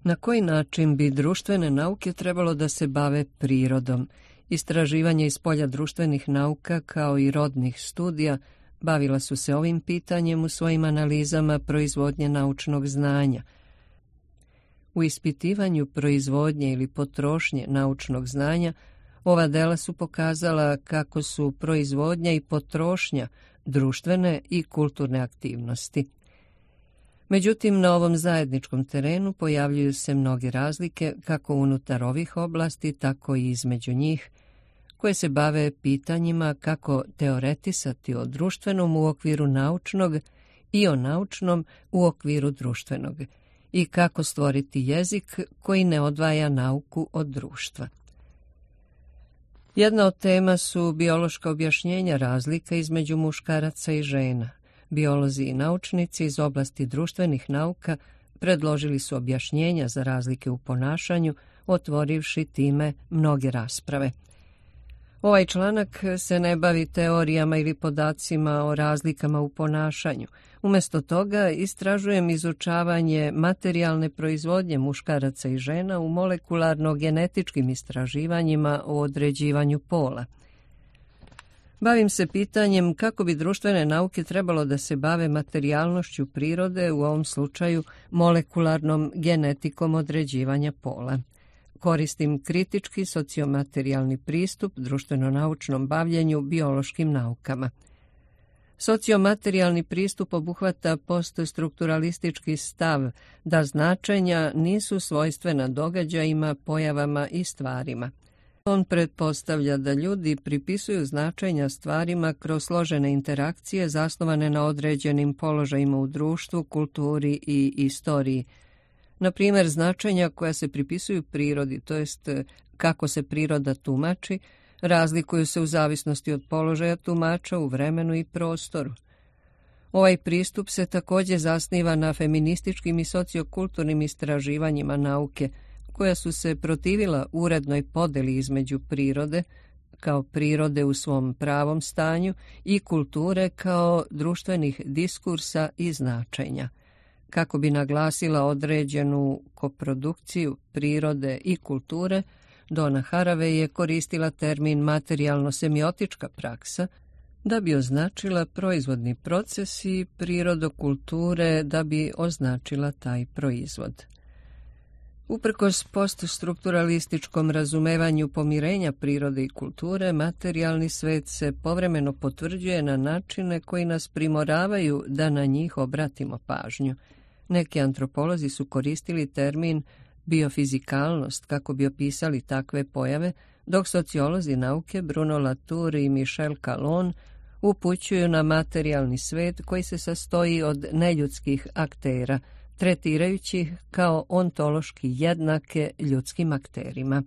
Na koji način bi društvene nauke trebalo da se bave prirodom? Istraživanja iz polja društvenih nauka kao i rodnih studija bavila su se ovim pitanjem u svojim analizama proizvodnje naučnog znanja. U ispitivanju proizvodnje ili potrošnje naučnog znanja ova dela su pokazala kako su proizvodnja i potrošnja društvene i kulturne aktivnosti. Međutim, na ovom zajedničkom terenu pojavljuju se mnoge razlike kako unutar ovih oblasti, tako i između njih, koje se bave pitanjima kako teoretisati o društvenom u okviru naučnog i o naučnom u okviru društvenog i kako stvoriti jezik koji ne odvaja nauku od društva. Jedna od tema su biološka objašnjenja razlika između muškaraca i žena. Biolozi i naučnici iz oblasti društvenih nauka predložili su objašnjenja za razlike u ponašanju, otvorivši time mnoge rasprave. Ovaj članak se ne bavi teorijama ili podacima o razlikama u ponašanju. Umjesto toga istražujem izučavanje materijalne proizvodnje muškaraca i žena u molekularno-genetičkim istraživanjima o određivanju pola. Bavim se pitanjem kako bi društvene nauke trebalo da se bave materijalnošću prirode, u ovom slučaju molekularnom genetikom određivanja pola. Koristim kritički sociomaterijalni pristup društveno-naučnom bavljenju biološkim naukama. Sociomaterijalni pristup obuhvata poststrukturalistički stav da značenja nisu svojstvena događajima, pojavama i stvarima. On pretpostavlja da ljudi pripisuju značenja stvarima kroz složene interakcije zasnovane na određenim položajima u društvu, kulturi i istoriji. Na primjer, značenja koja se pripisuju prirodi, to jest kako se priroda tumači, razlikuju se u zavisnosti od položaja tumača u vremenu i prostoru. Ovaj pristup se također zasniva na feminističkim i sociokulturnim istraživanjima nauke, koja su se protivila urednoj podeli između prirode, kao prirode u svom pravom stanju, i kulture kao društvenih diskursa i značenja. Kako bi naglasila određenu koprodukciju prirode i kulture, Donna Haraway je koristila termin materijalno-semiotička praksa da bi označila proizvodni proces i prirodokulture da bi označila taj proizvod. Uprkos poststrukturalističkom razumevanju pomirenja prirode i kulture, materijalni svet se povremeno potvrđuje na načine koji nas primoravaju da na njih obratimo pažnju. Neki antropolozi su koristili termin biofizikalnost kako bi opisali takve pojave, dok sociolozi nauke Bruno Latour i Michel Calon upućuju na materijalni svet koji se sastoji od neljudskih aktera, tretirajući ih kao ontološki jednake ljudskim akterima.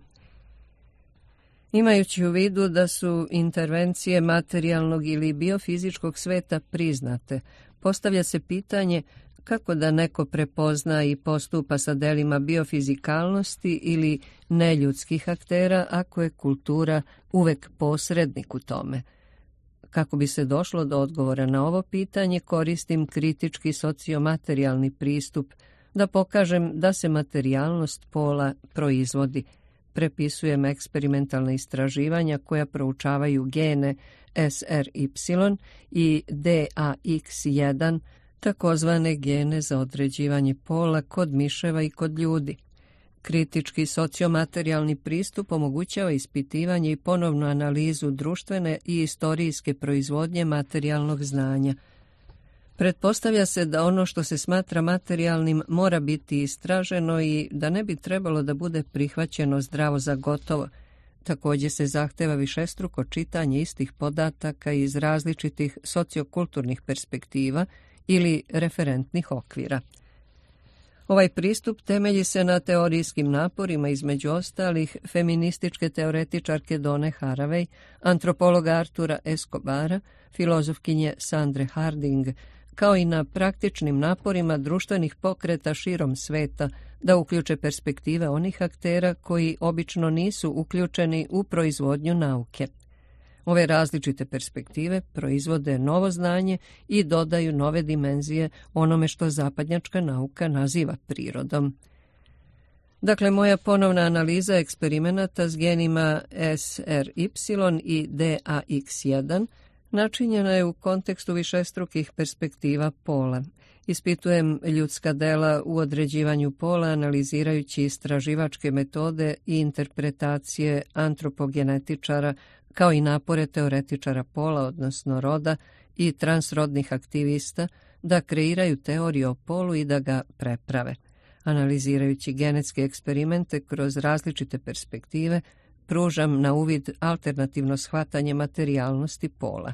Imajući u vidu da su intervencije materijalnog ili biofizičkog sveta priznate, postavlja se pitanje kako da neko prepozna i postupa sa delima biofizikalnosti ili neljudskih aktera ako je kultura uvek posrednik u tome. Kako bi se došlo do odgovora na ovo pitanje, koristim kritički sociomaterijalni pristup da pokažem da se materijalnost pola proizvodi. Prepisujem eksperimentalna istraživanja koja proučavaju gene SRY i DAX1, takozvane gene za određivanje pola kod miševa i kod ljudi. Kritički sociomaterijalni pristup omogućava ispitivanje i ponovnu analizu društvene i istorijske proizvodnje materijalnog znanja. Pretpostavlja se da ono što se smatra materijalnim mora biti istraženo i da ne bi trebalo da bude prihvaćeno zdravo za gotovo. Također se zahteva višestruko čitanje istih podataka iz različitih sociokulturnih perspektiva ili referentnih okvira. Ovaj pristup temelji se na teorijskim naporima, između ostalih feminističke teoretičarke Donne Haraway, antropologa Artura Escobara, filozofkinje Sandre Harding, kao i na praktičnim naporima društvenih pokreta širom sveta da uključe perspektive onih aktera koji obično nisu uključeni u proizvodnju nauke. Ove različite perspektive proizvode novo znanje i dodaju nove dimenzije onome što zapadnjačka nauka naziva prirodom. Dakle, moja ponovna analiza eksperimenata s genima SRY i DAX1 načinjena je u kontekstu višestrukih perspektiva pola. Ispitujem ljudska dela u određivanju pola analizirajući istraživačke metode i interpretacije antropogenetičara kao i napore teoretičara pola, odnosno roda, i transrodnih aktivista da kreiraju teoriju o polu i da ga preprave. Analizirajući genetske eksperimente kroz različite perspektive, pružam na uvid alternativno shvatanje materijalnosti pola.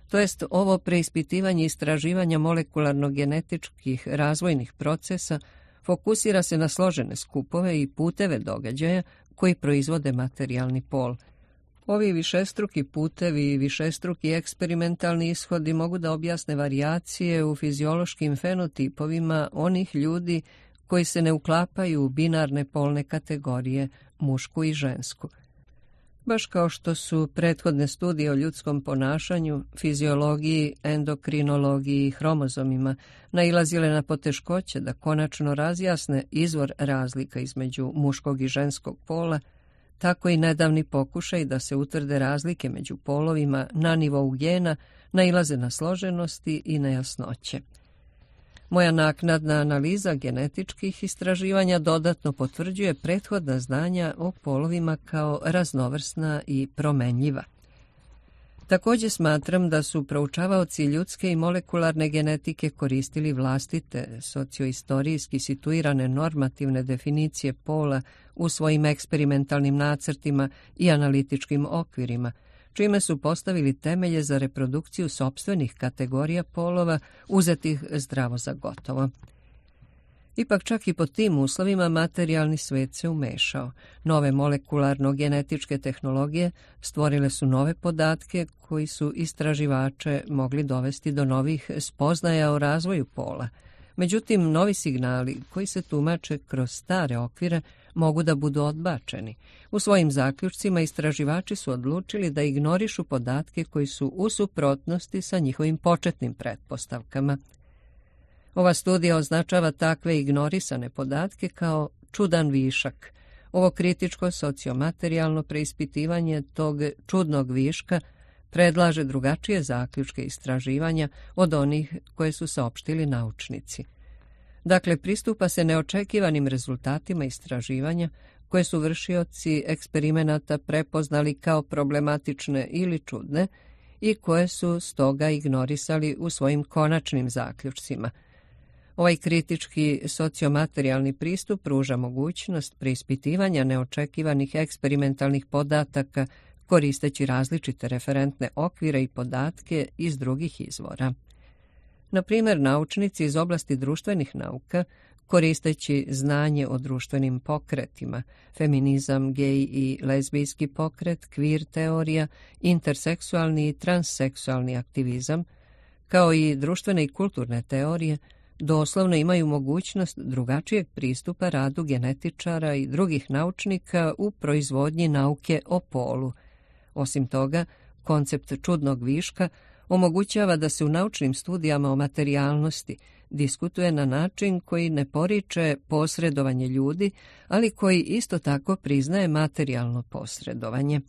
To jest, ovo preispitivanje istraživanja molekularno-genetičkih razvojnih procesa fokusira se na složene skupove i puteve događaja koji proizvode materijalni pol. Ovi višestruki putevi i višestruki eksperimentalni ishodi mogu da objasne varijacije u fiziološkim fenotipovima onih ljudi koji se ne uklapaju u binarne polne kategorije, mušku i žensku. Baš kao što su prethodne studije o ljudskom ponašanju, fiziologiji, endokrinologiji i hromozomima nailazile na poteškoće da konačno razjasne izvor razlika između muškog i ženskog pola, tako i nedavni pokušaj da se utvrde razlike među polovima na nivou gena nailaze na složenosti i nejasnoće. Moja naknadna analiza genetičkih istraživanja dodatno potvrđuje prethodna znanja o polovima kao raznovrsna i promenljiva. Također smatram da su proučavaoci ljudske i molekularne genetike koristili vlastite socioistorijski situirane normativne definicije pola u svojim eksperimentalnim nacrtima i analitičkim okvirima, čime su postavili temelje za reprodukciju sopstvenih kategorija polova uzetih zdravo za gotovo. Ipak čak i pod tim uslovima materijalni svet se umešao. Nove molekularno-genetičke tehnologije stvorile su nove podatke koji su istraživače mogli dovesti do novih spoznaja o razvoju pola. Međutim, novi signali koji se tumače kroz stare okvire mogu da budu odbačeni. U svojim zaključcima istraživači su odlučili da ignorišu podatke koji su u suprotnosti sa njihovim početnim pretpostavkama. Ova studija označava takve ignorisane podatke kao čudan višak. Ovo kritičko sociomaterijalno preispitivanje tog čudnog viška predlaže drugačije zaključke istraživanja od onih koje su saopštili naučnici. Dakle, pristupa se neočekivanim rezultatima istraživanja koje su vršioci eksperimenata prepoznali kao problematične ili čudne i koje su stoga ignorisali u svojim konačnim zaključcima. Ovaj kritički sociomaterijalni pristup pruža mogućnost preispitivanja neočekivanih eksperimentalnih podataka koristeći različite referentne okvire i podatke iz drugih izvora. Na primjer, naučnici iz oblasti društvenih nauka, koristeći znanje o društvenim pokretima, feminizam, gej i lezbijski pokret, kvir teorija, interseksualni i transseksualni aktivizam, kao i društvene i kulturne teorije, doslovno imaju mogućnost drugačijeg pristupa radu genetičara i drugih naučnika u proizvodnji nauke o polu. Osim toga, koncept čudnog viška omogućava da se u naučnim studijama o materijalnosti diskutuje na način koji ne poriče posredovanje ljudi, ali koji isto tako priznaje materijalno posredovanje.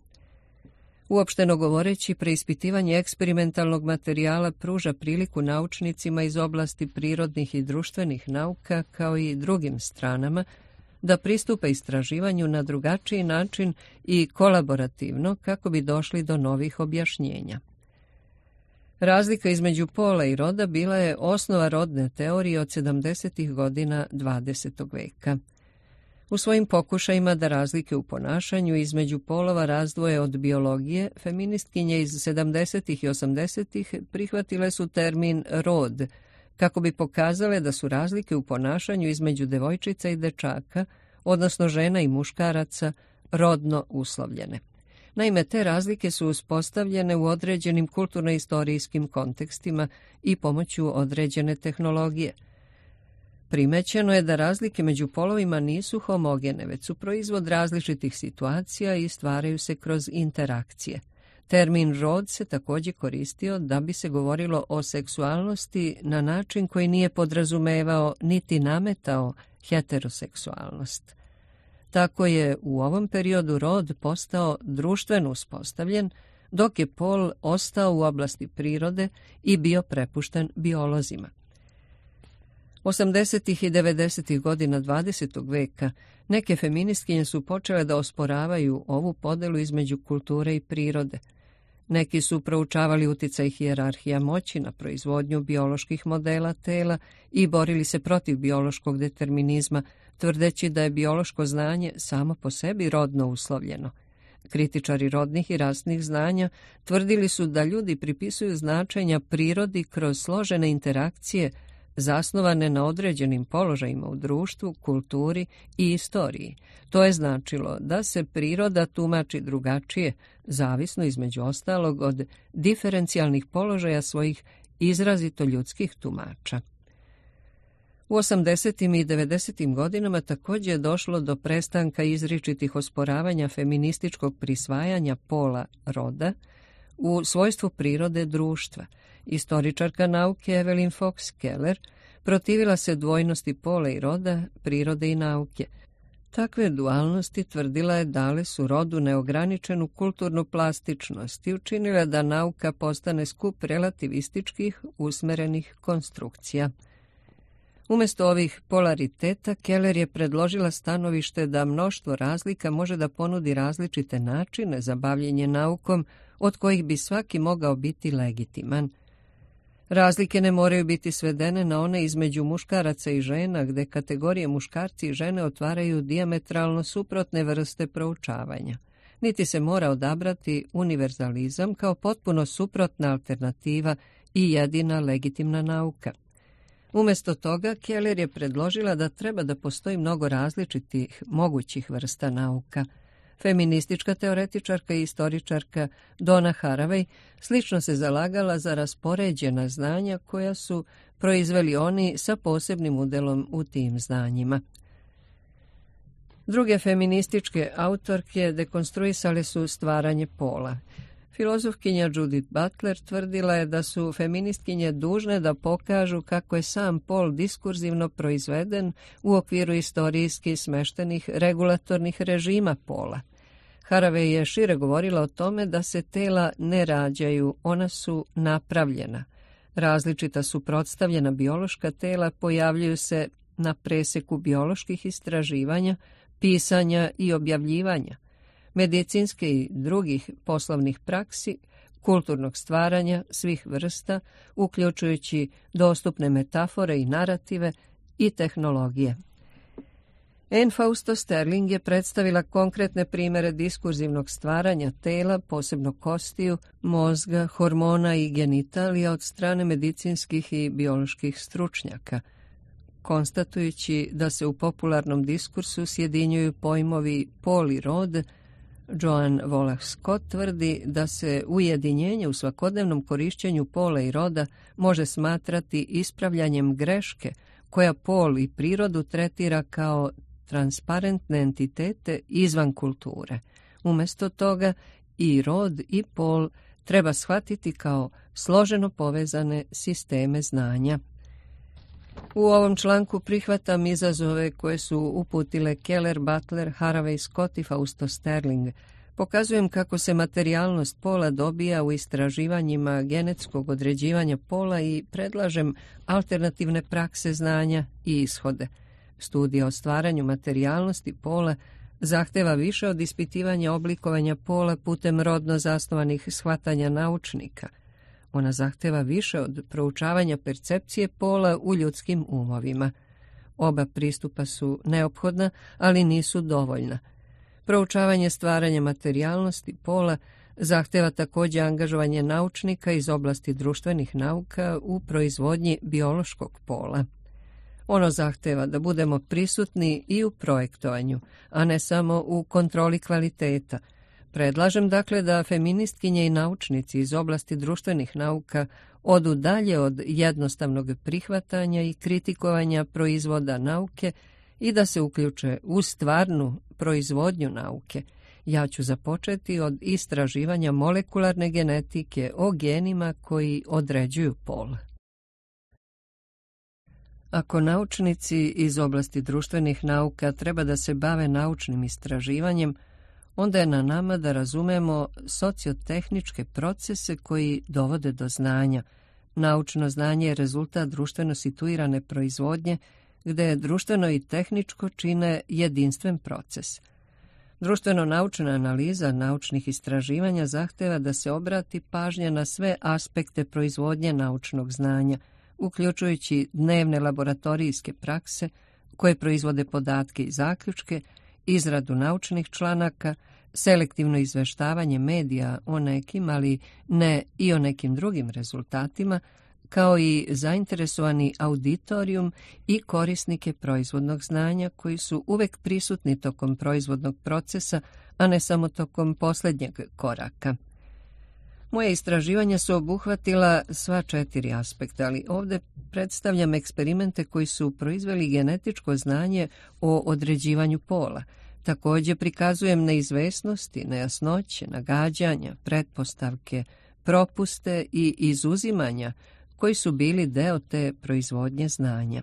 Uopšteno govoreći, preispitivanje eksperimentalnog materijala pruža priliku naučnicima iz oblasti prirodnih i društvenih nauka, kao i drugim stranama, da pristupe istraživanju na drugačiji način i kolaborativno kako bi došli do novih objašnjenja. Razlika između pola i roda bila je osnova rodne teorije od 70. godina 20. veka. U svojim pokušajima da razlike u ponašanju između polova razdvoje od biologije, feministkinje iz 70. i 80. prihvatile su termin rod, kako bi pokazale da su razlike u ponašanju između devojčica i dečaka, odnosno žena i muškaraca, rodno uslovljene. Naime, te razlike su uspostavljene u određenim kulturno-istorijskim kontekstima i pomoću određene tehnologije. Primećeno je da razlike među polovima nisu homogene, već su proizvod različitih situacija i stvaraju se kroz interakcije. Termin rod se također koristio da bi se govorilo o seksualnosti na način koji nije podrazumevao niti nametao heteroseksualnost. Tako je u ovom periodu rod postao društveno uspostavljen, dok je pol ostao u oblasti prirode i bio prepušten biolozima. 80. i 90. godina 20. veka neke feministkinje su počele da osporavaju ovu podelu između kulture i prirode. Neki su proučavali uticaj hijerarhija moći na proizvodnju bioloških modela tela i borili se protiv biološkog determinizma, tvrdeći da je biološko znanje samo po sebi rodno uslovljeno. Kritičari rodnih i rasnih znanja tvrdili su da ljudi pripisuju značenja prirodi kroz složene interakcije zasnovane na određenim položajima u društvu, kulturi i istoriji. To je značilo da se priroda tumači drugačije, zavisno između ostalog od diferencijalnih položaja svojih izrazito ljudskih tumača. U 80. i 90. godinama također je došlo do prestanka izričitih osporavanja feminističkog prisvajanja pola roda u svojstvu prirode društva. Istoričarka nauke Evelyn Fox Keller protivila se dvojnosti pola i roda, prirode i nauke. Takve dualnosti, tvrdila je, dale su rodu neograničenu kulturnu plastičnost i učinile da nauka postane skup relativističkih usmerenih konstrukcija. Umjesto ovih polariteta, Keller je predložila stanovište da mnoštvo razlika može da ponudi različite načine za bavljenje naukom, od kojih bi svaki mogao biti legitiman. Razlike ne moraju biti svedene na one između muškaraca i žena, gde kategorije muškarci i žene otvaraju dijametralno suprotne vrste proučavanja. Niti se mora odabrati univerzalizam kao potpuno suprotna alternativa i jedina legitimna nauka. Umjesto toga, Keller je predložila da treba da postoji mnogo različitih mogućih vrsta nauka. Feministička teoretičarka i istoričarka Donna Haraway slično se zalagala za raspoređena znanja koja su proizveli oni sa posebnim udelom u tim znanjima. Druge feminističke autorke dekonstruisale su stvaranje pola. Filozofkinja Judith Butler tvrdila je da su feministkinje dužne da pokažu kako je sam pol diskurzivno proizveden u okviru istorijski smeštenih regulatornih režima pola. Haraway je šire govorila o tome da se tela ne rađaju, ona su napravljena. Različita suprotstavljena biološka tela pojavljuju se na preseku bioloških istraživanja, pisanja i objavljivanja, medicinske i drugih poslovnih praksi, kulturnog stvaranja svih vrsta, uključujući dostupne metafore i narative i tehnologije. Anne Fausto Sterling je predstavila konkretne primere diskurzivnog stvaranja tela, posebno kostiju, mozga, hormona i genitalija od strane medicinskih i bioloških stručnjaka, konstatujući da se u popularnom diskursu sjedinjuju pojmovi pol i rod. Joan Wallach Scott tvrdi da se ujedinjenje u svakodnevnom korišćenju pola i roda može smatrati ispravljanjem greške koja pol i prirodu tretira kao transparentne entitete izvan kulture. Umjesto toga i rod i pol treba shvatiti kao složeno povezane sisteme znanja. U ovom članku prihvatam izazove koje su uputile Keller, Butler, Haraway, Scott i Fausto Sterling. Pokazujem kako se materijalnost pola dobija u istraživanjima genetskog određivanja pola i predlažem alternativne prakse znanja i ishode. Studija o stvaranju materijalnosti pola zahteva više od ispitivanja oblikovanja pola putem rodno zasnovanih shvatanja naučnika. Ona zahteva više od proučavanja percepcije pola u ljudskim umovima. Oba pristupa su neophodna, ali nisu dovoljna. Proučavanje stvaranja materijalnosti pola zahteva također angažovanje naučnika iz oblasti društvenih nauka u proizvodnji biološkog pola. Ono zahteva da budemo prisutni i u projektovanju, a ne samo u kontroli kvaliteta. Predlažem dakle da feministkinje i naučnici iz oblasti društvenih nauka odu dalje od jednostavnog prihvatanja i kritikovanja proizvoda nauke i da se uključe u stvarnu proizvodnju nauke. Ja ću započeti od istraživanja molekularne genetike o genima koji određuju pol. Ako naučnici iz oblasti društvenih nauka treba da se bave naučnim istraživanjem, onda je na nama da razumemo sociotehničke procese koji dovode do znanja. Naučno znanje je rezultat društveno situirane proizvodnje, gde društveno i tehničko čine jedinstven proces. Društveno-naučna analiza naučnih istraživanja zahteva da se obrati pažnja na sve aspekte proizvodnje naučnog znanja, uključujući dnevne laboratorijske prakse koje proizvode podatke i zaključke, izradu naučnih članaka, selektivno izveštavanje medija o nekim, ali ne i o nekim drugim rezultatima, kao i zainteresovani auditorijum i korisnike proizvodnog znanja koji su uvek prisutni tokom proizvodnog procesa, a ne samo tokom posljednjeg koraka. Moje istraživanja su obuhvatila sva 4 aspekta, ali ovdje predstavljam eksperimente koji su proizveli genetičko znanje o određivanju pola. Također prikazujem neizvesnosti, nejasnoće, nagađanja, pretpostavke, propuste i izuzimanja koji su bili deo te proizvodnje znanja.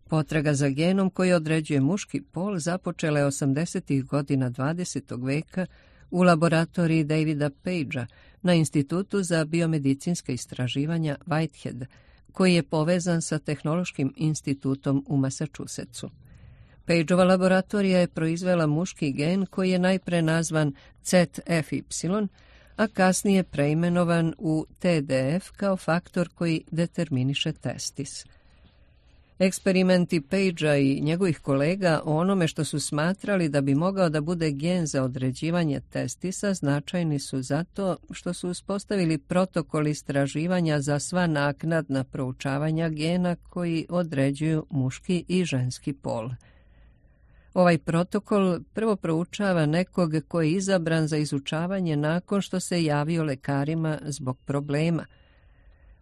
Potraga za genom koji određuje muški pol započela je 80. godina 20. veka u laboratoriji Davida Pagea na Institutu za biomedicinska istraživanja Whitehead, koji je povezan sa Tehnološkim institutom u Massachusettsu. Pageova laboratorija je proizvela muški gen koji je najpre nazvan ZFY, a kasnije preimenovan u TDF kao faktor koji determiniše testis. Eksperimenti Pagea i njegovih kolega o onome što su smatrali da bi mogao da bude gen za određivanje testisa značajni su zato što su uspostavili protokol istraživanja za sva naknadna proučavanja gena koji određuju muški i ženski pol. Ovaj protokol prvo proučava nekog koji je izabran za izučavanje nakon što se javio lekarima zbog problema.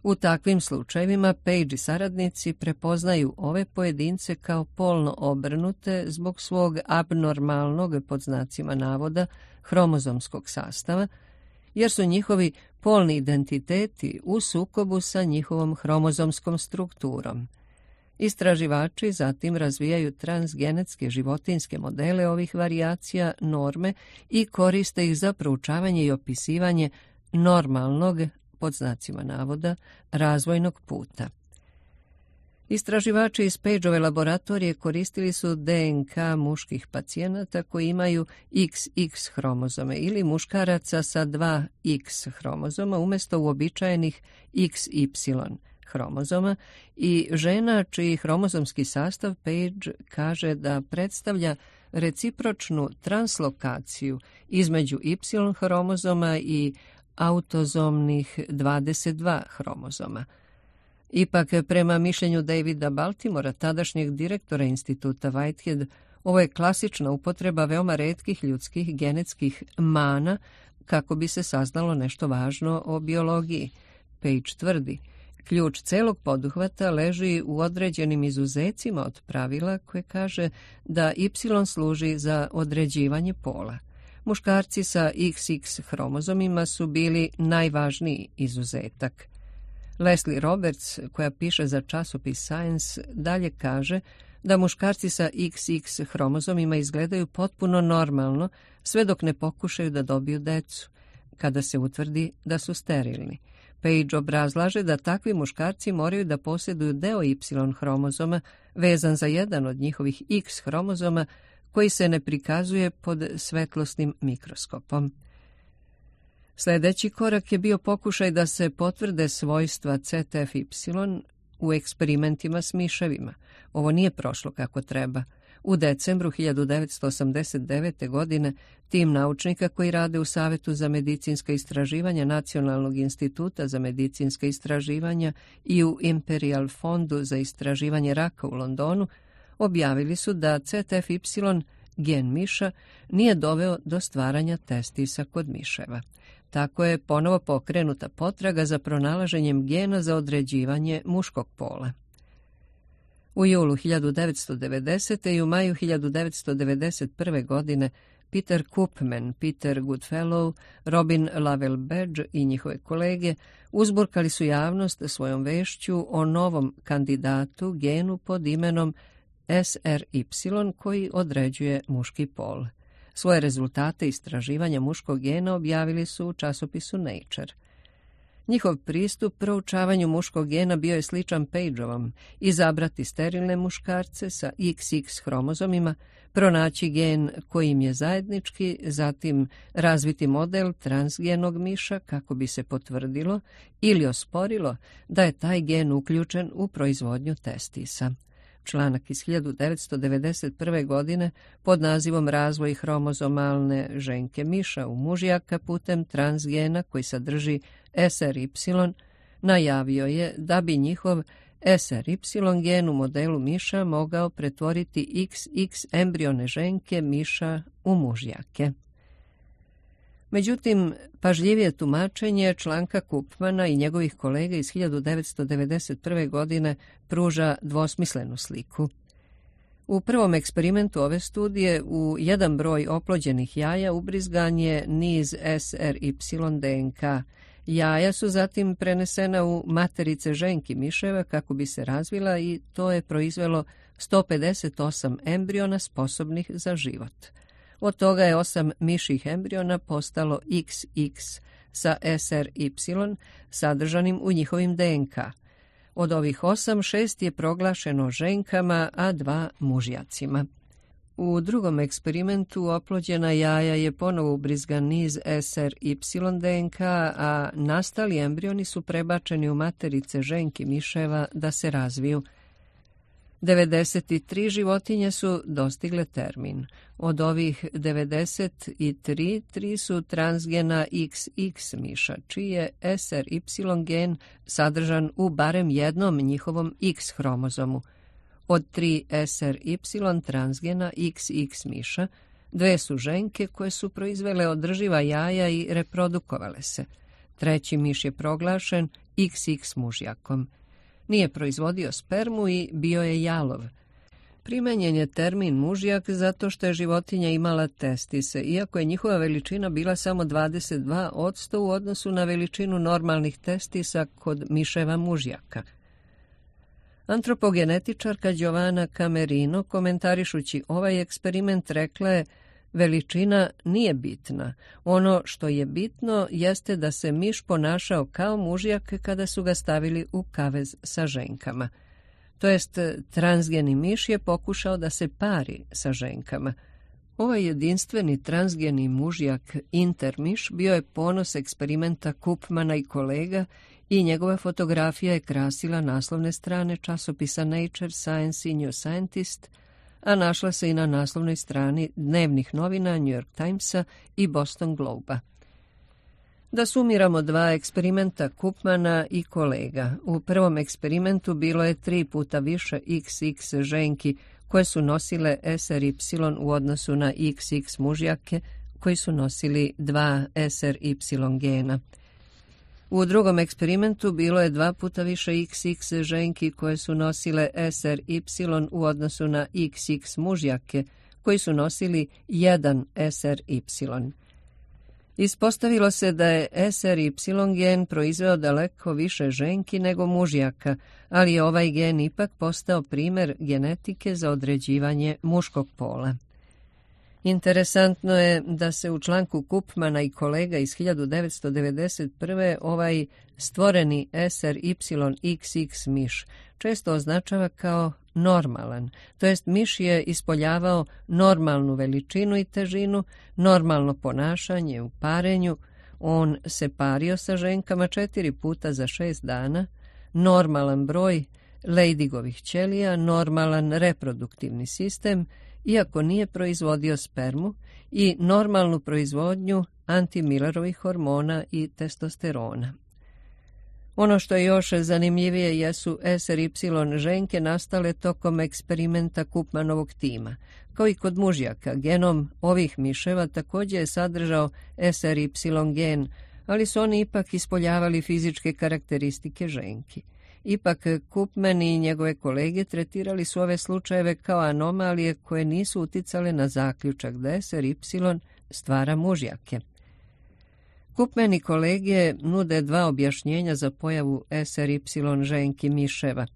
U takvim slučajevima Page i saradnici prepoznaju ove pojedince kao polno obrnute zbog svog abnormalnog, pod znacima navoda, hromozomskog sastava, jer su njihovi polni identiteti u sukobu sa njihovom hromozomskom strukturom. Istraživači zatim razvijaju transgenetske životinjske modele ovih varijacija norme i koriste ih za proučavanje i opisivanje normalnog, pod znacima navoda, razvojnog puta. Istraživači iz Pageove laboratorije koristili su DNK muških pacijenata koji imaju XX hromozome ili muškaraca sa 2 X hromozoma umjesto uobičajenih XY hromozoma i žena čiji hromozomski sastav Page kaže da predstavlja recipročnu translokaciju između Y hromozoma i autozomnih 22 hromozoma. Ipak, prema mišljenju Davida Baltimora, tadašnjeg direktora instituta Whitehead, ovo je klasična upotreba veoma retkih ljudskih genetskih mana kako bi se saznalo nešto važno o biologiji. Page tvrdi, ključ celog poduhvata leži u određenim izuzecima od pravila koje kaže da Y služi za određivanje pola. Muškarci sa XX hromozomima su bili najvažniji izuzetak. Leslie Roberts, koja piše za časopis Science, dalje kaže da muškarci sa XX hromozomima izgledaju potpuno normalno sve dok ne pokušaju da dobiju decu, kada se utvrdi da su sterilni. Page obrazlaže da takvi muškarci moraju da posjeduju deo Y hromozoma vezan za jedan od njihovih X hromozoma koji se ne prikazuje pod svetlosnim mikroskopom. Sljedeći korak je bio pokušaj da se potvrde svojstva ZFY u eksperimentima s miševima. Ovo nije prošlo kako treba. U decembru 1989. godine tim naučnika koji rade u Savetu za medicinska istraživanja Nacionalnog instituta za medicinska istraživanja i u Imperial fondu za istraživanje raka u Londonu objavili su da ZFY, gen miša, nije doveo do stvaranja testisa kod miševa. Tako je ponovo pokrenuta potraga za pronalaženjem gena za određivanje muškog pola. U julu 1990. i u maju 1991. godine Peter Koopman, Peter Goodfellow, Robin Lovell Badge i njihove kolege uzburkali su javnost svojom vešću o novom kandidatu genu pod imenom SRY koji određuje muški pol. Svoje rezultate istraživanja muškog gena objavili su u časopisu Nature. Njihov pristup proučavanju muškog gena bio je sličan Pageovom: izabrati sterilne muškarce sa XX hromozomima, pronaći gen koji im je zajednički, zatim razviti model transgenog miša kako bi se potvrdilo ili osporilo da je taj gen uključen u proizvodnju testisa. Članak iz 1991. godine pod nazivom Razvoj hromozomalne ženke miša u mužjaka putem transgena koji sadrži SRY najavio je da bi njihov SRY gen u modelu miša mogao pretvoriti XX embrione ženke miša u mužjake. Međutim, pažljivije tumačenje članka Koopmana i njegovih kolega iz 1991. godine pruža dvosmislenu sliku. U prvom eksperimentu ove studije u jedan broj oplođenih jaja ubrizgan je niz SRY DNK. Jaja su zatim prenesena u materice ženki miševa kako bi se razvila i to je proizvelo 158 embriona sposobnih za život. Od toga je 8 mišjih embriona postalo XX sa SRY sadržanim u njihovim DNK. Od ovih 8, 6 je proglašeno ženkama, a 2 mužjacima. U drugom eksperimentu oplođena jaja je ponovo ubrizgan niz SRY DNK, a nastali embrioni su prebačeni u materice ženki miševa da se razviju. 93 životinje su dostigle termin. Od ovih 93, 3 su transgena XX miša, čiji je SRY gen sadržan u barem jednom njihovom X hromozomu. Od 3 SRY transgena XX miša, 2 su ženke koje su proizvele održiva jaja i reprodukovale se. Treći miš je proglašen XX mužjakom. Nije proizvodio spermu i bio je jalov. Primenjen je termin mužjak zato što je životinja imala testise, iako je njihova veličina bila samo 22% u odnosu na veličinu normalnih testisa kod miševa mužjaka. Antropogenetičarka Giovanna Camerino, komentarišući ovaj eksperiment, rekla je: veličina nije bitna. Ono što je bitno jeste da se miš ponašao kao mužjak kada su ga stavili u kavez sa ženkama. To jest, transgeni miš je pokušao da se pari sa ženkama. Ovaj jedinstveni transgeni mužjak intermiš bio je ponos eksperimenta Koopmana i kolega i njegova fotografija je krasila naslovne strane časopisa Nature, Science i New Scientist, a našla se i na naslovnoj strani dnevnih novina New York Timesa i Boston Globe-a. Da sumiramo 2 eksperimenta Koopmana i kolega. U prvom eksperimentu bilo je 3 puta više XX ženki koje su nosile SRY u odnosu na XX mužjake koji su nosili 2 SRY gena. U drugom eksperimentu bilo je 2 puta više XX ženki koje su nosile SRY u odnosu na XX mužjake koji su nosili 1 SRY. Ispostavilo se da je SRY gen proizveo daleko više ženki nego mužjaka, ali je ovaj gen ipak postao primer genetike za određivanje muškog pola. Interesantno je da se u članku Koopmana i kolega iz 1991. ovaj stvoreni SRY XX miš često označava kao normalan, to jest miš je ispoljavao normalnu veličinu i težinu, normalno ponašanje u parenju, on se pario sa ženkama 4 puta za 6 dana, normalan broj Leydigovih ćelija, normalan reproduktivni sistem, iako nije proizvodio spermu, i normalnu proizvodnju antimillerovih hormona i testosterona. Ono što je još zanimljivije jesu SRY ženke nastale tokom eksperimenta Koopmanovog tima. Kao i kod mužjaka, genom ovih miševa također je sadržao SRY gen, ali su oni ipak ispoljavali fizičke karakteristike ženki. Ipak Koopman i njegove kolege tretirali su ove slučajeve kao anomalije koje nisu uticale na zaključak da SRY stvara mužjake. Koopman i kolege nude dva objašnjenja za pojavu SRY ženki miševa.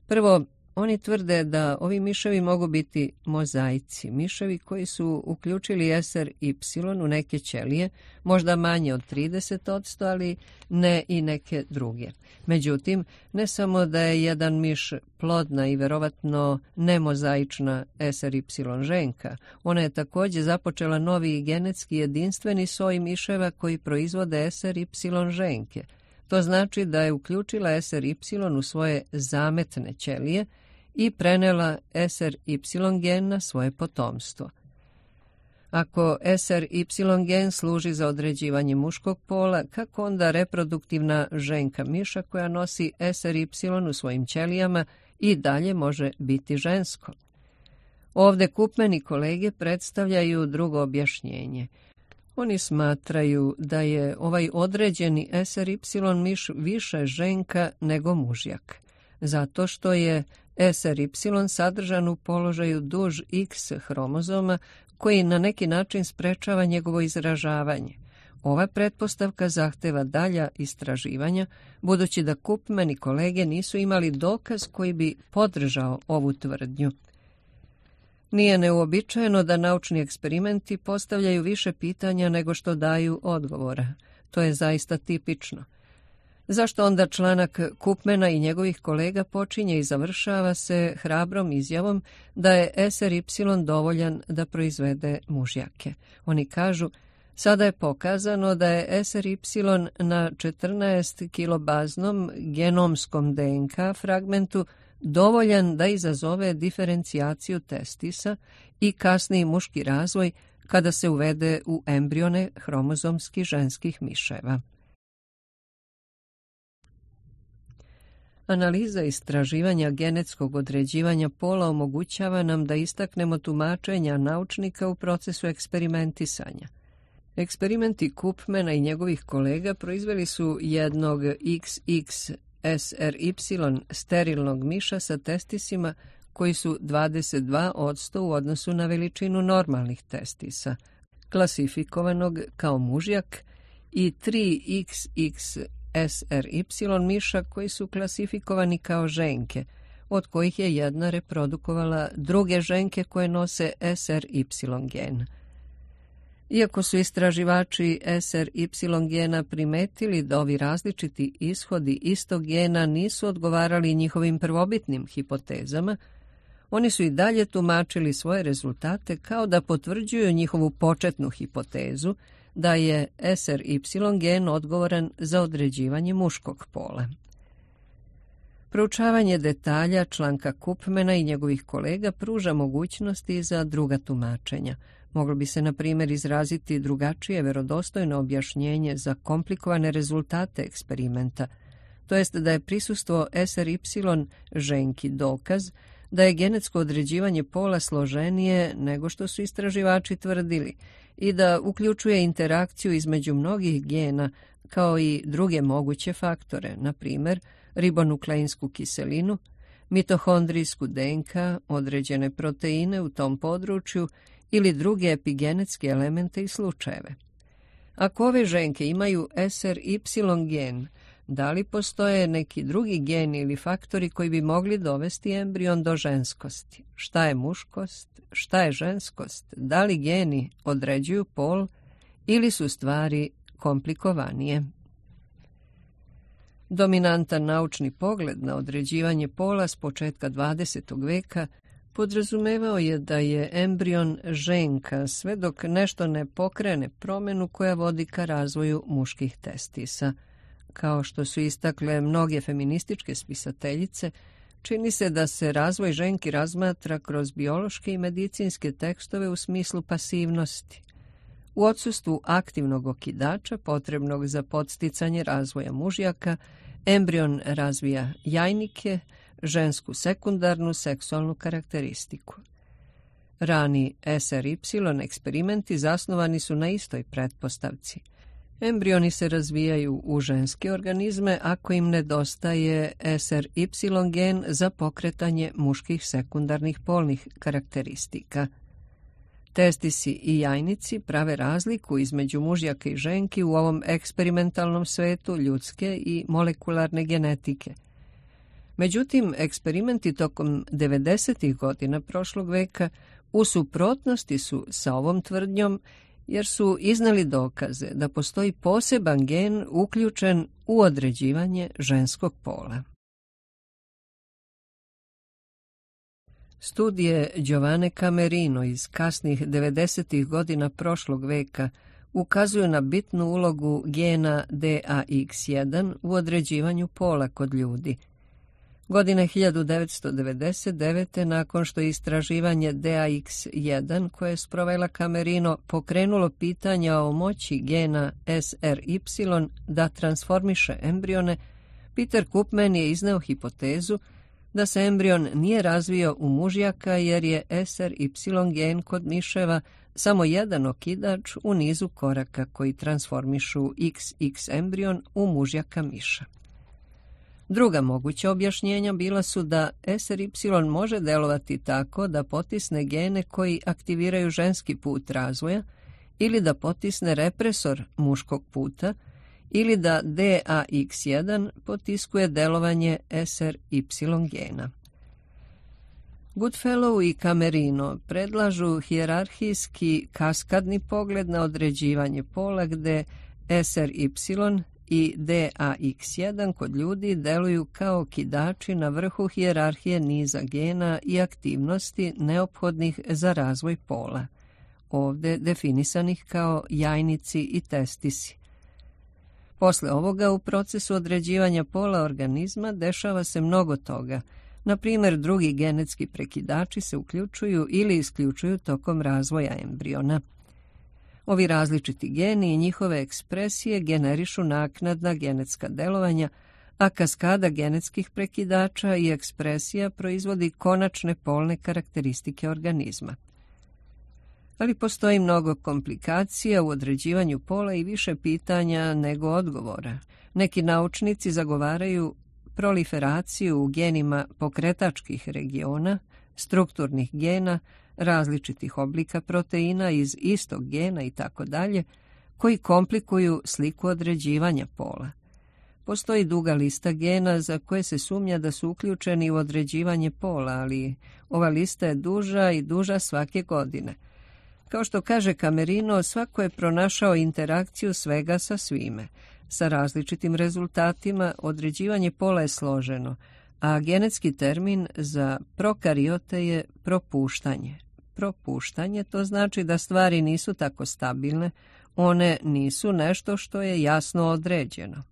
Prvo, oni tvrde da ovi miševi mogu biti mozaici, miševi koji su uključili SRY u neke ćelije, možda manje od 30%, ali ne i neke druge. Međutim, ne samo da je jedan miš plodna i verovatno nemozaična SRY ženka, ona je također započela novi genetski jedinstveni soj miševa koji proizvode SRY ženke. To znači da je uključila SRY u svoje zametne ćelije i prenela SRY gen na svoje potomstvo. Ako SRY gen služi za određivanje muškog pola, kako onda reproduktivna ženka miša koja nosi SRY u svojim ćelijama i dalje može biti žensko? Ovdje Koopman i kolege predstavljaju drugo objašnjenje. Oni smatraju da je ovaj određeni SRY miš više ženka nego mužjak, zato što je SRY sadržan u položaju duž X hromozoma koji na neki način sprečava njegovo izražavanje. Ova pretpostavka zahteva dalja istraživanja, budući da Koopman i kolege nisu imali dokaz koji bi podržao ovu tvrdnju. Nije neuobičajeno da naučni eksperimenti postavljaju više pitanja nego što daju odgovora. To je zaista tipično. Zašto onda članak Koopmana i njegovih kolega počinje i završava se hrabrom izjavom da je SRY dovoljan da proizvede mužjake? Oni kažu, sada je pokazano da je SRY na 14 kilobaznom genomskom DNK fragmentu dovoljan da izazove diferencijaciju testisa i kasniji muški razvoj kada se uvede u embrione hromozomski ženskih miševa. Analiza istraživanja genetskog određivanja pola omogućava nam da istaknemo tumačenja naučnika u procesu eksperimentisanja. Eksperimenti Koopmana i njegovih kolega proizveli su jednog XX SRY sterilnog miša sa testisima koji su 22% u odnosu na veličinu normalnih testisa, klasifikovanog kao mužjak, i 3XX SRY miša koji su klasifikovani kao ženke, od kojih je jedna reprodukovala druge ženke koje nose SRY gen. Iako su istraživači SRY gena primetili da ovi različiti ishodi istog gena nisu odgovarali njihovim prvobitnim hipotezama, oni su i dalje tumačili svoje rezultate kao da potvrđuju njihovu početnu hipotezu da je SRY gen odgovoran za određivanje muškog pola. Proučavanje detalja članka Koopmana i njegovih kolega pruža mogućnosti za druga tumačenja. Moglo bi se, na primjer, izraziti drugačije verodostojno objašnjenje za komplikovane rezultate eksperimenta, to jest da je prisustvo SRY ženki dokaz da je genetsko određivanje pola složenije nego što su istraživači tvrdili i da uključuje interakciju između mnogih gena kao i druge moguće faktore, na primjer ribonukleinsku kiselinu, mitohondrijsku DNK, određene proteine u tom području ili druge epigenetske elemente i slučajeve. Ako ove ženke imaju SRY gen, da li postoje neki drugi geni ili faktori koji bi mogli dovesti embrion do ženskosti? Šta je muškost? Šta je ženskost? Da li geni određuju pol ili su stvari komplikovanije? Dominantan naučni pogled na određivanje pola s početka 20. veka podrazumevao je da je embrion ženka sve dok nešto ne pokrene promjenu koja vodi ka razvoju muških testisa. Kao što su istakle mnoge feminističke spisateljice, čini se da se razvoj ženki razmatra kroz biološke i medicinske tekstove u smislu pasivnosti. U odsustvu aktivnog okidača potrebnog za podsticanje razvoja mužjaka, embrion razvija jajnike, žensku sekundarnu seksualnu karakteristiku. Rani SRY eksperimenti zasnovani su na istoj pretpostavci. Embrioni se razvijaju u ženske organizme ako im nedostaje SRY gen za pokretanje muških sekundarnih polnih karakteristika. Testisi i jajnici prave razliku između mužjaka i ženki u ovom eksperimentalnom svetu ljudske i molekularne genetike. Međutim, eksperimenti tokom 90. godina prošlog veka u suprotnosti su sa ovom tvrdnjom, jer su iznali dokaze da postoji poseban gen uključen u određivanje ženskog pola. Studije Giovanne Camerino iz kasnih 90. godina prošlog veka ukazuju na bitnu ulogu gena DAX1 u određivanju pola kod ljudi. Godine 1999. nakon što je istraživanje DAX1 koje je sprovela Camerino pokrenulo pitanja o moći gena SRY da transformiše embrione, Peter Koopman je izneo hipotezu da se embrion nije razvio u mužjaka jer je SRY gen kod miševa samo jedan okidač u nizu koraka koji transformišu XX embrion u mužjaka miša. Druga moguća objašnjenja bila su da SRY može delovati tako da potisne gene koji aktiviraju ženski put razvoja ili da potisne represor muškog puta ili da DAX1 potiskuje delovanje SRY gena. Goodfellow i Camerino predlažu hijerarhijski kaskadni pogled na određivanje pola gde SRY i DAX1 kod ljudi deluju kao okidači na vrhu hijerarhije niza gena i aktivnosti neophodnih za razvoj pola, ovde definisanih kao jajnici i testisi. Posle ovoga u procesu određivanja pola organizma dešava se mnogo toga. Na primjer, drugi genetski prekidači se uključuju ili isključuju tokom razvoja embriona. Ovi različiti geni i njihove ekspresije generišu naknadna genetska delovanja, a kaskada genetskih prekidača i ekspresija proizvodi konačne polne karakteristike organizma. Ali postoji mnogo komplikacija u određivanju pola i više pitanja nego odgovora. Neki naučnici zagovaraju proliferaciju u genima pokretačkih regiona, strukturnih gena, različitih oblika proteina iz istog gena itd., koji komplikuju sliku određivanja pola. Postoji duga lista gena za koje se sumnja da su uključeni u određivanje pola, ali ova lista je duža i duža svake godine. Kao što kaže Camerino, svako je pronašao interakciju svega sa svime. Sa različitim rezultatima određivanje pola je složeno, a genetski termin za prokariote je propuštanje. Propuštanje to znači da stvari nisu tako stabilne, one nisu nešto što je jasno određeno.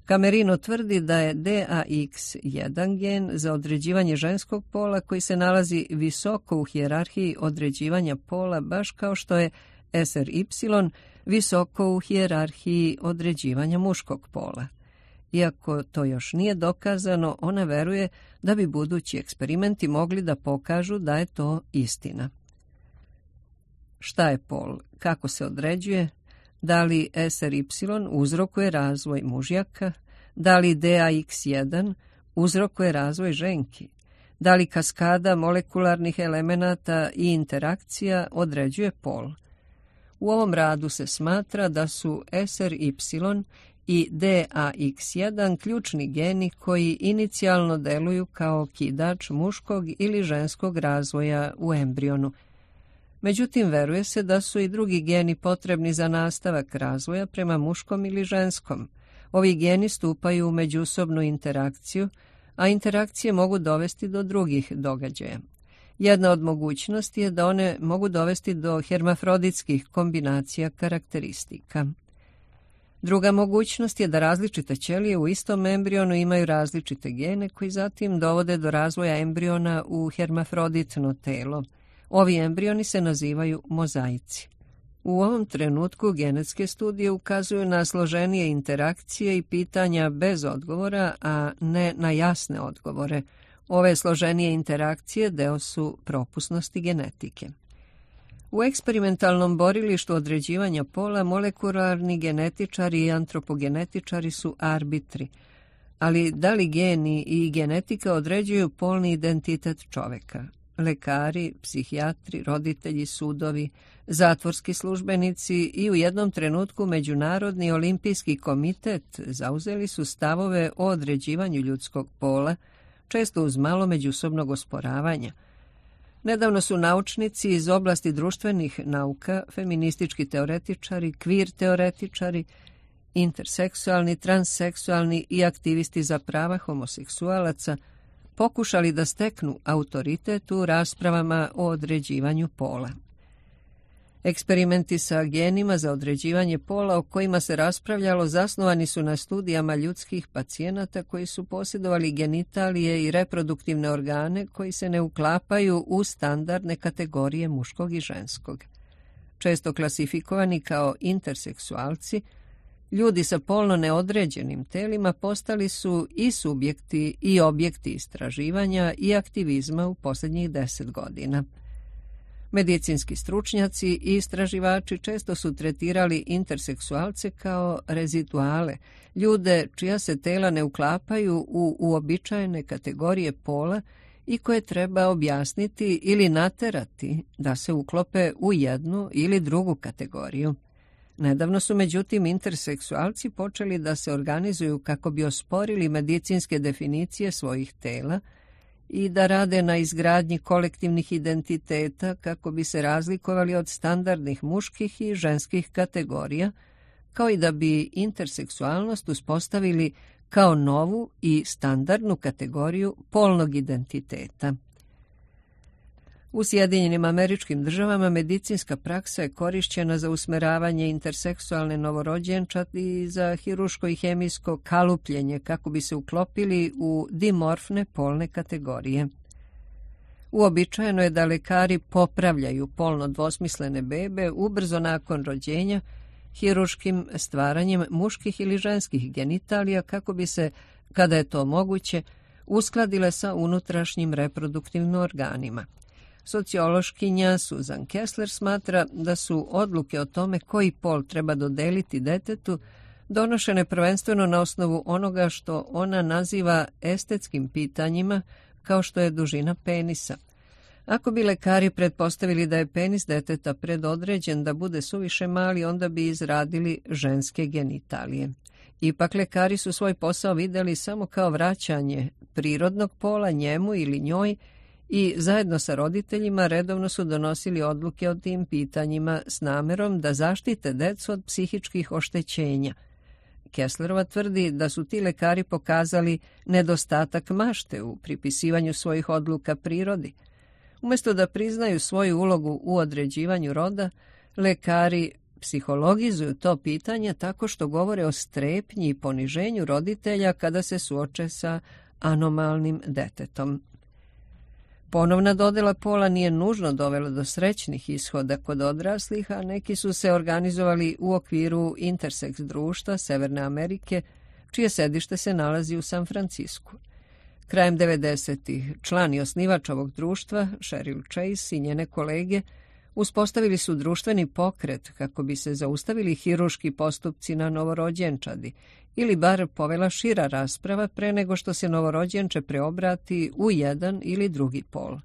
Camerino tvrdi da je DAX1 gen za određivanje ženskog pola koji se nalazi visoko u hijerarhiji određivanja pola, baš kao što je SRY visoko u hijerarhiji određivanja muškog pola. Iako to još nije dokazano, ona veruje da bi budući eksperimenti mogli da pokažu da je to istina. Šta je pol? Kako se određuje? Da li SRY uzrokuje razvoj mužjaka? Da li DAX1 uzrokuje razvoj ženki? Da li kaskada molekularnih elemenata i interakcija određuje pol? U ovom radu se smatra da su SRY i DAX1 ključni geni koji inicijalno deluju kao kidač muškog ili ženskog razvoja u embrionu. Međutim, veruje se da su i drugi geni potrebni za nastavak razvoja prema muškom ili ženskom. Ovi geni stupaju u međusobnu interakciju, a interakcije mogu dovesti do drugih događaja. Jedna od mogućnosti je da one mogu dovesti do hermafroditskih kombinacija karakteristika. Druga mogućnost je da različite ćelije u istom embrionu imaju različite gene koji zatim dovode do razvoja embriona u hermafroditno telo. Ovi embrioni se nazivaju mozaici. U ovom trenutku genetske studije ukazuju na složenije interakcije i pitanja bez odgovora, a ne na jasne odgovore. Ove složenije interakcije deo su propusnosti genetike. U eksperimentalnom borilištu određivanja pola molekularni genetičari i antropogenetičari su arbitri, ali da li geni i genetika određuju polni identitet čoveka? Lekari, psihijatri, roditelji, sudovi, zatvorski službenici i u jednom trenutku Međunarodni olimpijski komitet zauzeli su stavove o određivanju ljudskog pola, često uz malo međusobnog osporavanja. Nedavno su naučnici iz oblasti društvenih nauka, feministički teoretičari, kvir teoretičari, interseksualni, transseksualni i aktivisti za prava homoseksualaca pokušali da steknu autoritet u raspravama o određivanju pola. Eksperimenti sa genima za određivanje pola o kojima se raspravljalo zasnovani su na studijama ljudskih pacijenata koji su posjedovali genitalije i reproduktivne organe koji se ne uklapaju u standardne kategorije muškog i ženskog. Često klasifikovani kao interseksualci, ljudi sa polno neodređenim telima postali su i subjekti i objekti istraživanja i aktivizma u posljednjih 10 godina. Medicinski stručnjaci i istraživači često su tretirali interseksualce kao reziduale, ljude čija se tela ne uklapaju u uobičajene kategorije pola i koje treba objasniti ili naterati da se uklope u jednu ili drugu kategoriju. Nedavno su međutim interseksualci počeli da se organizuju kako bi osporili medicinske definicije svojih tela i da rade na izgradnji kolektivnih identiteta kako bi se razlikovali od standardnih muških i ženskih kategorija, kao i da bi interseksualnost uspostavili kao novu i standardnu kategoriju polnog identiteta. U Sjedinjenim Američkim Državama medicinska praksa je korišćena za usmeravanje interseksualne novorođenčadi i za hiruško i hemijsko kalupljenje kako bi se uklopili u dimorfne polne kategorije. Uobičajeno je da lekari popravljaju polno dvosmislene bebe ubrzo nakon rođenja hiruškim stvaranjem muških ili ženskih genitalija kako bi se, kada je to moguće, uskladile sa unutrašnjim reproduktivnim organima. Sociološkinja Susan Kessler smatra da su odluke o tome koji pol treba dodeliti detetu donošene prvenstveno na osnovu onoga što ona naziva estetskim pitanjima, kao što je dužina penisa. Ako bi lekari pretpostavili da je penis deteta predodređen da bude suviše mali, onda bi izradili ženske genitalije. Ipak lekari su svoj posao vidjeli samo kao vraćanje prirodnog pola njemu ili njoj i zajedno sa roditeljima redovno su donosili odluke o tim pitanjima s namerom da zaštite decu od psihičkih oštećenja. Kesslerova tvrdi da su ti lekari pokazali nedostatak mašte u pripisivanju svojih odluka prirodi. Umjesto da priznaju svoju ulogu u određivanju roda, lekari psihologizuju to pitanje tako što govore o strepnji i poniženju roditelja kada se suoče sa anomalnim detetom. Ponovna dodela pola nije nužno dovela do srećnih ishoda kod odraslih, a neki su se organizovali u okviru interseks društva Severne Amerike, čije sedište se nalazi u San Francisku. Krajem 90-ih član i osnivač ovog društva, Cheryl Chase i njene kolege, uspostavili su društveni pokret kako bi se zaustavili hiruški postupci na novorođenčadi ili bar povela šira rasprava pre nego što se novorođenče preobrati u jedan ili drugi pol.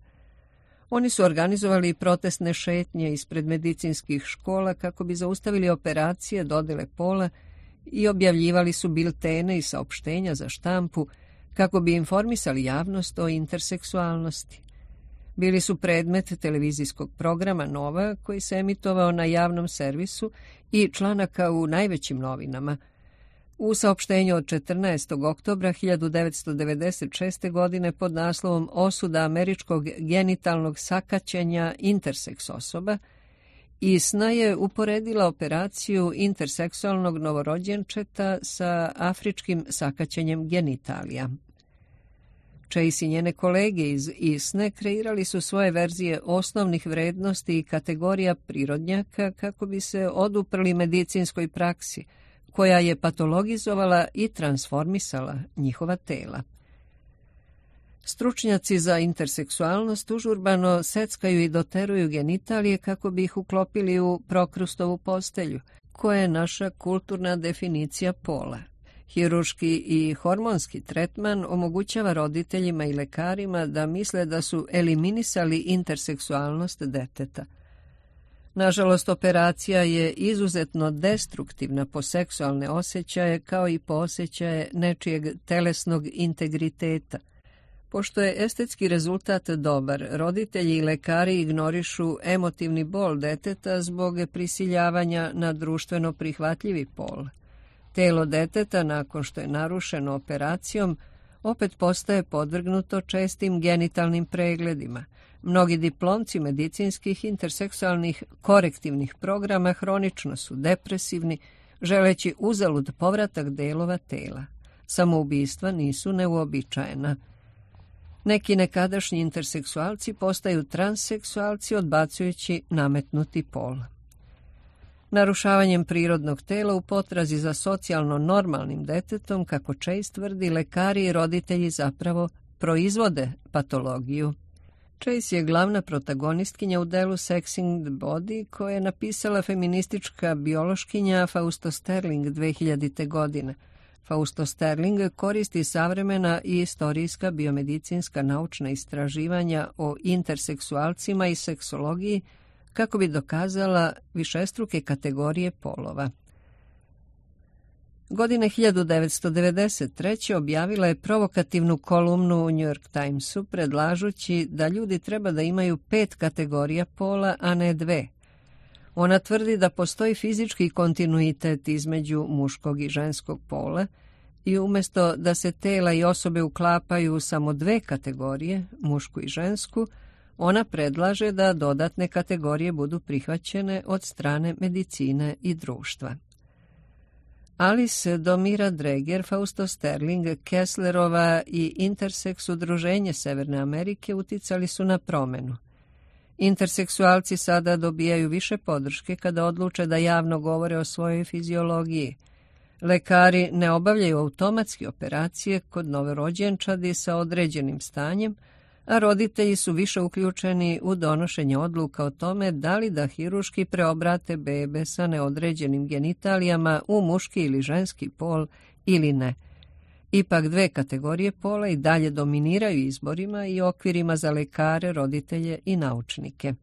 Oni su organizovali protestne šetnje ispred medicinskih škola kako bi zaustavili operacije dodele pola i objavljivali su biltene i saopštenja za štampu kako bi informisali javnost o interseksualnosti. Bili su predmet televizijskog programa Nova koji se emitovao na javnom servisu i članaka u najvećim novinama. U saopštenju od 14. oktobra 1996. godine pod naslovom Osuda američkog genitalnog sakaćenja interseks osoba, ISNA je uporedila operaciju interseksualnog novorođenčeta sa afričkim sakaćenjem genitalija. Chase i njene kolege iz ISNE kreirali su svoje verzije osnovnih vrednosti i kategorija prirodnjaka kako bi se oduprli medicinskoj praksi, koja je patologizovala i transformisala njihova tela. Stručnjaci za interseksualnost užurbano seckaju i doteruju genitalije kako bi ih uklopili u Prokrustovu postelju, koja je naša kulturna definicija pola. Hirurški i hormonski tretman omogućava roditeljima i lekarima da misle da su eliminisali interseksualnost deteta. Nažalost, operacija je izuzetno destruktivna po seksualne osjećaje kao i po osjećaje nečijeg telesnog integriteta. Pošto je estetski rezultat dobar, roditelji i lekari ignorišu emotivni bol deteta zbog prisiljavanja na društveno prihvatljivi pol. Telo deteta, nakon što je narušeno operacijom, opet postaje podvrgnuto čestim genitalnim pregledima. Mnogi diplomci medicinskih interseksualnih korektivnih programa hronično su depresivni, želeći uzalud povratak delova tela. Samoubistva nisu neuobičajena. Neki nekadašnji interseksualci postaju transseksualci odbacujući nametnuti pol. Narušavanjem prirodnog tela u potrazi za socijalno normalnim detetom, kako Chase tvrdi, lekari i roditelji zapravo proizvode patologiju. Chase je glavna protagonistkinja u delu Sexing the Body, koje je napisala feministička biološkinja Fausto Sterling 2000. godine. Fausto Sterling koristi savremena i istorijska biomedicinska naučna istraživanja o interseksualcima i seksologiji kako bi dokazala višestruke kategorije polova. Godine 1993. objavila je provokativnu kolumnu u New York Timesu predlažući da ljudi treba da imaju 5 kategorija pola, a ne 2. Ona tvrdi da postoji fizički kontinuitet između muškog i ženskog pola i umjesto da se tela i osobe uklapaju u samo 2 kategorije, mušku i žensku, ona predlaže da dodatne kategorije budu prihvaćene od strane medicine i društva. Alice Domira Dreger, Fausto Sterling, Kesslerova i Intersex udruženje Severne Amerike uticali su na promenu. Interseksualci sada dobijaju više podrške kada odluče da javno govore o svojoj fiziologiji. Lekari ne obavljaju automatski operacije kod novorođenčadi sa određenim stanjem, a roditelji su više uključeni u donošenje odluka o tome da li da hirurški preobrate bebe sa neodređenim genitalijama u muški ili ženski pol ili ne. Ipak 2 kategorije pola i dalje dominiraju izborima i okvirima za lekare, roditelje i naučnike.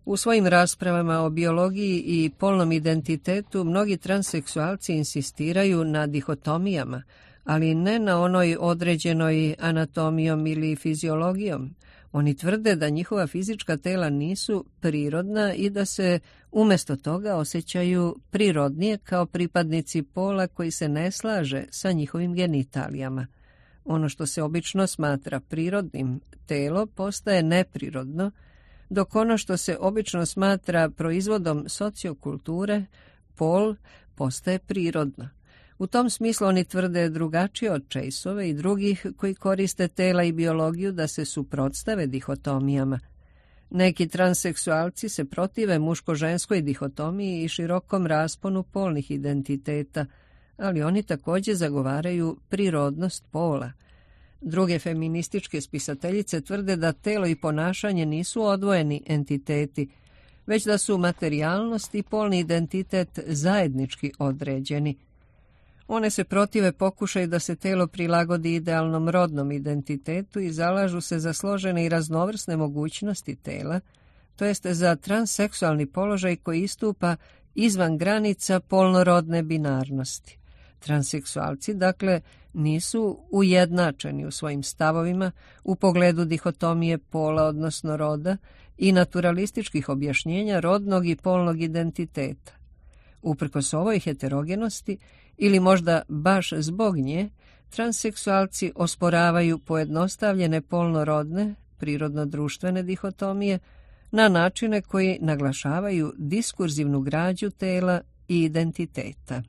U svojim raspravama o biologiji i polnom identitetu mnogi transseksualci insistiraju na dihotomijama, ali ne na onoj određenoj anatomijom ili fiziologijom. Oni tvrde da njihova fizička tela nisu prirodna i da se umjesto toga osjećaju prirodnije kao pripadnici pola koji se ne slaže sa njihovim genitalijama. Ono što se obično smatra prirodnim telo postaje neprirodno, dok ono što se obično smatra proizvodom sociokulture, pol, postaje prirodno. U tom smislu oni tvrde drugačije od Chaseove i drugih koji koriste tela i biologiju da se suprotstave dihotomijama. Neki transseksualci se protive muško-ženskoj dihotomiji i širokom rasponu polnih identiteta, ali oni također zagovaraju prirodnost pola. Druge feminističke spisateljice tvrde da telo i ponašanje nisu odvojeni entiteti, već da su materijalnost i polni identitet zajednički određeni. One se protive pokušaju da se telo prilagodi idealnom rodnom identitetu i zalažu se za složene i raznovrsne mogućnosti tela, to jeste za transseksualni položaj koji istupa izvan granica polnorodne binarnosti. Transseksualci, dakle, nisu ujednačeni u svojim stavovima u pogledu dihotomije pola, odnosno roda, i naturalističkih objašnjenja rodnog i polnog identiteta. Uprkos ovoj heterogenosti, ili možda baš zbog nje, transseksualci osporavaju pojednostavljene polnorodne, prirodno-društvene dihotomije na načine koji naglašavaju diskurzivnu građu tela i identiteta.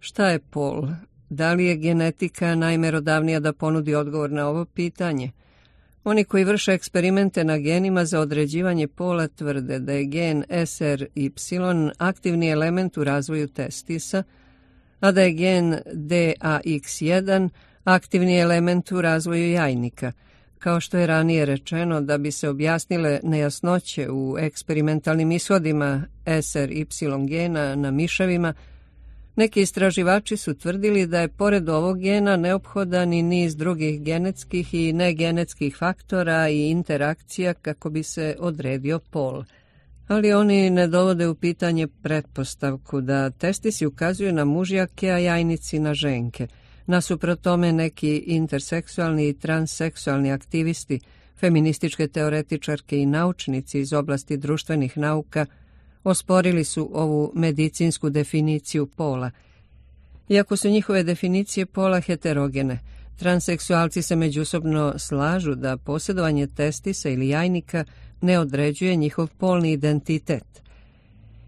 Šta je pol? Da li je genetika najmerodavnija da ponudi odgovor na ovo pitanje? Oni koji vrše eksperimente na genima za određivanje pola tvrde da je gen SRY aktivni element u razvoju testisa, a da je gen DAX1 aktivni element u razvoju jajnika. Kao što je ranije rečeno, da bi se objasnile nejasnoće u eksperimentalnim ishodima SRY gena na miševima, neki istraživači su tvrdili da je pored ovog gena neophodan i niz drugih genetskih i negenetskih faktora i interakcija kako bi se odredio pol. Ali oni ne dovode u pitanje pretpostavku da testisi ukazuju na mužjake, a jajnici na ženke. Nasuprot tome neki interseksualni i transseksualni aktivisti, feminističke teoretičarke i naučnici iz oblasti društvenih nauka osporili su ovu medicinsku definiciju pola. Iako su njihove definicije pola heterogene, transseksualci se međusobno slažu da posjedovanje testisa ili jajnika ne određuje njihov polni identitet.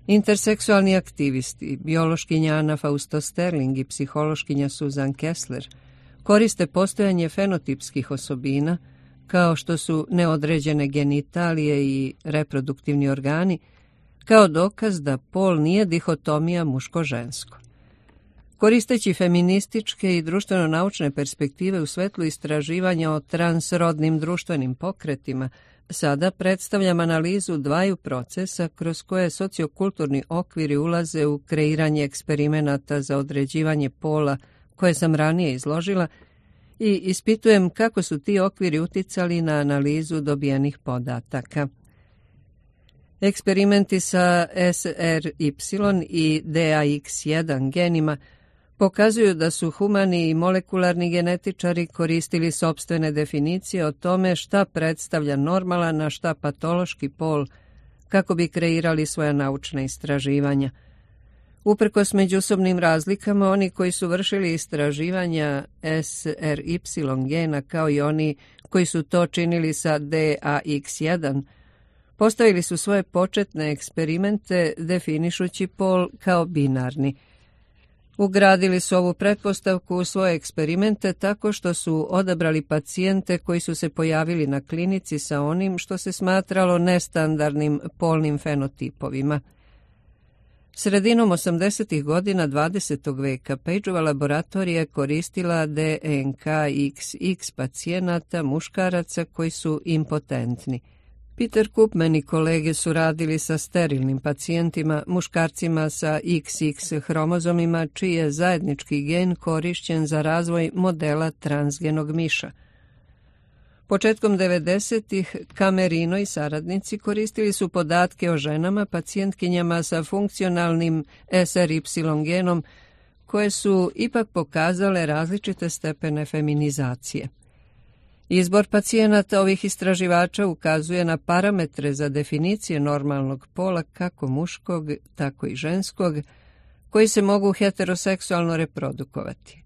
Interseksualni aktivisti, biološkinja Anna Fausto Sterling i psihološkinja Susan Kessler, koriste postojanje fenotipskih osobina, kao što su neodređene genitalije i reproduktivni organi, kao dokaz da pol nije dihotomija muško-žensko. Koristeći feminističke i društveno-naučne perspektive u svetlu istraživanja o transrodnim društvenim pokretima, sada predstavljam analizu dvaju procesa kroz koje sociokulturni okviri ulaze u kreiranje eksperimenata za određivanje pola koje sam ranije izložila i ispitujem kako su ti okviri uticali na analizu dobijenih podataka. Eksperimenti sa SRY i DAX1 genima pokazuju da su humani i molekularni genetičari koristili sopstvene definicije o tome šta predstavlja normalan, a šta patološki pol, kako bi kreirali svoja naučna istraživanja. Uprkos međusobnim razlikama, oni koji su vršili istraživanja SRY gena kao i oni koji su to činili sa DAX1, postavili su svoje početne eksperimente definišući pol kao binarni. Ugradili su ovu pretpostavku u svoje eksperimente tako što su odabrali pacijente koji su se pojavili na klinici sa onim što se smatralo nestandardnim polnim fenotipovima. Sredinom 80. godina 20. veka Pageova laboratorija je koristila DNK XX pacijenata muškaraca koji su impotentni. Peter Koopman i kolege su radili sa sterilnim pacijentima, muškarcima sa XX hromozomima, čiji je zajednički gen korišćen za razvoj modela transgenog miša. Početkom 90-ih Camerino i saradnici koristili su podatke o ženama, pacijentkinjama sa funkcionalnim SRY genom, koje su ipak pokazale različite stepene feminizacije. Izbor pacijenata ovih istraživača ukazuje na parametre za definicije normalnog pola kako muškog, tako i ženskog, koji se mogu heteroseksualno reprodukovati.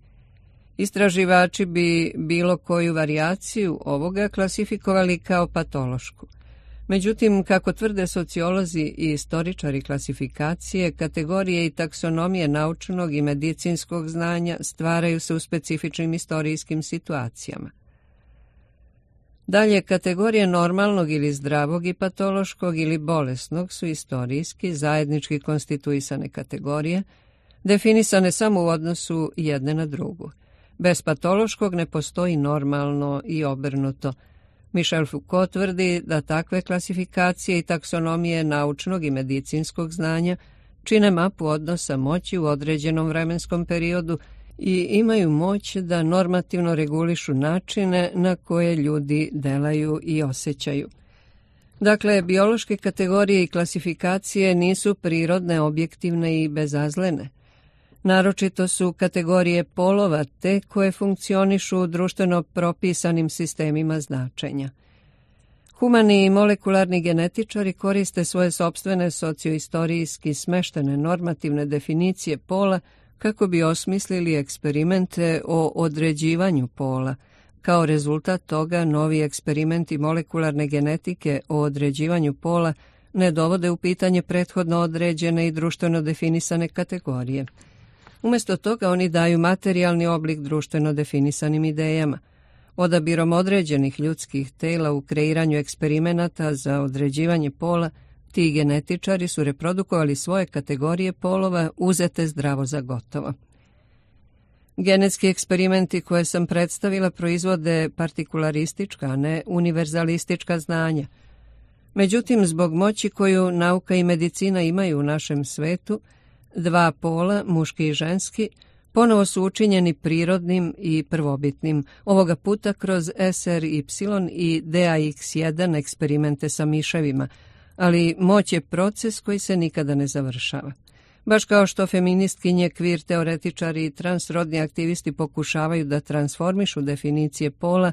Istraživači bi bilo koju varijaciju ovoga klasifikovali kao patološku. Međutim, kako tvrde sociolozi i istoričari klasifikacije, kategorije i taksonomije naučnog i medicinskog znanja stvaraju se u specifičnim istorijskim situacijama. Dalje, kategorije normalnog ili zdravog i patološkog ili bolesnog su istorijski, zajednički konstituisane kategorije, definisane samo u odnosu jedne na drugu. Bez patološkog ne postoji normalno i obrnuto. Michel Foucault tvrdi da takve klasifikacije i taksonomije naučnog i medicinskog znanja čine mapu odnosa moći u određenom vremenskom periodu i imaju moć da normativno regulišu načine na koje ljudi delaju i osjećaju. Dakle, biološke kategorije i klasifikacije nisu prirodne, objektivne i bezazlene. Naročito su kategorije polova te koje funkcionišu u društveno propisanim sistemima značenja. Humani i molekularni genetičari koriste svoje sopstvene socioistorijski smeštene normativne definicije pola kako bi osmislili eksperimente o određivanju pola. Kao rezultat toga, novi eksperimenti molekularne genetike o određivanju pola ne dovode u pitanje prethodno određene i društveno definisane kategorije. Umjesto toga oni daju materijalni oblik društveno definisanim idejama. Odabirom određenih ljudskih tela u kreiranju eksperimenata za određivanje pola, ti genetičari su reprodukovali svoje kategorije polova uzete zdravo za gotovo. Genetski eksperimenti koje sam predstavila proizvode partikularistička, a ne univerzalistička znanja. Međutim, zbog moći koju nauka i medicina imaju u našem svetu, dva pola, muški i ženski, ponovo su učinjeni prirodnim i prvobitnim, ovoga puta kroz SRY i DAX1 eksperimente sa miševima, ali moć je proces koji se nikada ne završava. Baš kao što feministkinje, kvir teoretičari i transrodni aktivisti pokušavaju da transformišu definicije pola,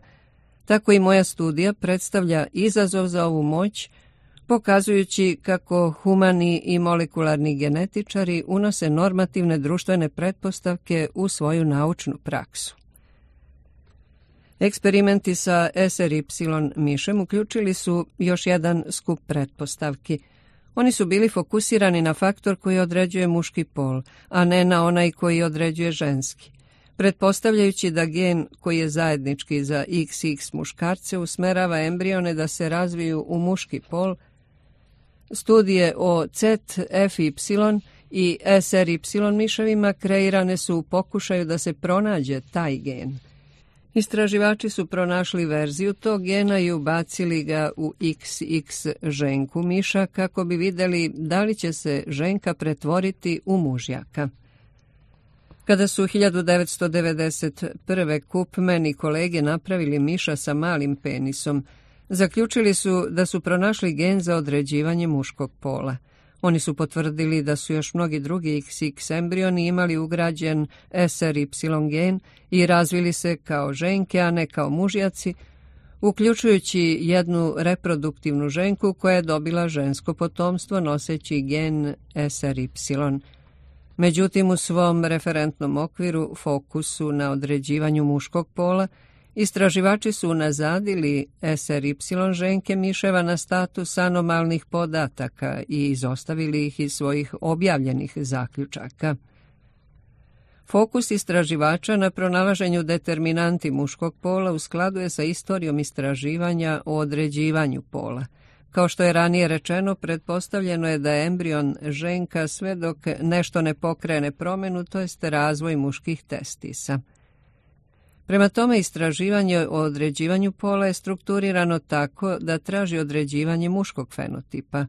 tako i moja studija predstavlja izazov za ovu moć, pokazujući kako humani i molekularni genetičari unose normativne društvene pretpostavke u svoju naučnu praksu. Eksperimenti sa SRY mišem uključili su još jedan skup pretpostavki. Oni su bili fokusirani na faktor koji određuje muški pol, a ne na onaj koji određuje ženski. Pretpostavljajući da gen koji je zajednički za XX muškarce usmerava embrione da se razviju u muški pol, studije o ZFY i SRY miševima kreirane su u pokušaju da se pronađe taj gen. Istraživači su pronašli verziju tog gena i ubacili ga u XX ženku miša kako bi vidjeli da li će se ženka pretvoriti u mužjaka. Kada su 1991. Koopman i kolege napravili miša sa malim penisom, zaključili su da su pronašli gen za određivanje muškog pola. Oni su potvrdili da su još mnogi drugi XX embrioni imali ugrađen SRY gen i razvili se kao ženke, a ne kao mužjaci, uključujući jednu reproduktivnu ženku koja je dobila žensko potomstvo noseći gen SRY. Međutim, u svom referentnom okviru, fokusu na određivanju muškog pola, istraživači su unazadili SRY ženke miševa na status anomalnih podataka i izostavili ih iz svojih objavljenih zaključaka. Fokus istraživača na pronalaženju determinanti muškog pola u skladu je sa istorijom istraživanja o određivanju pola. Kao što je ranije rečeno, pretpostavljeno je da je embrion ženka sve dok nešto ne pokrene promjenu, to jest razvoj muških testisa. Prema tome, istraživanje o određivanju pola je strukturirano tako da traži određivanje muškog fenotipa.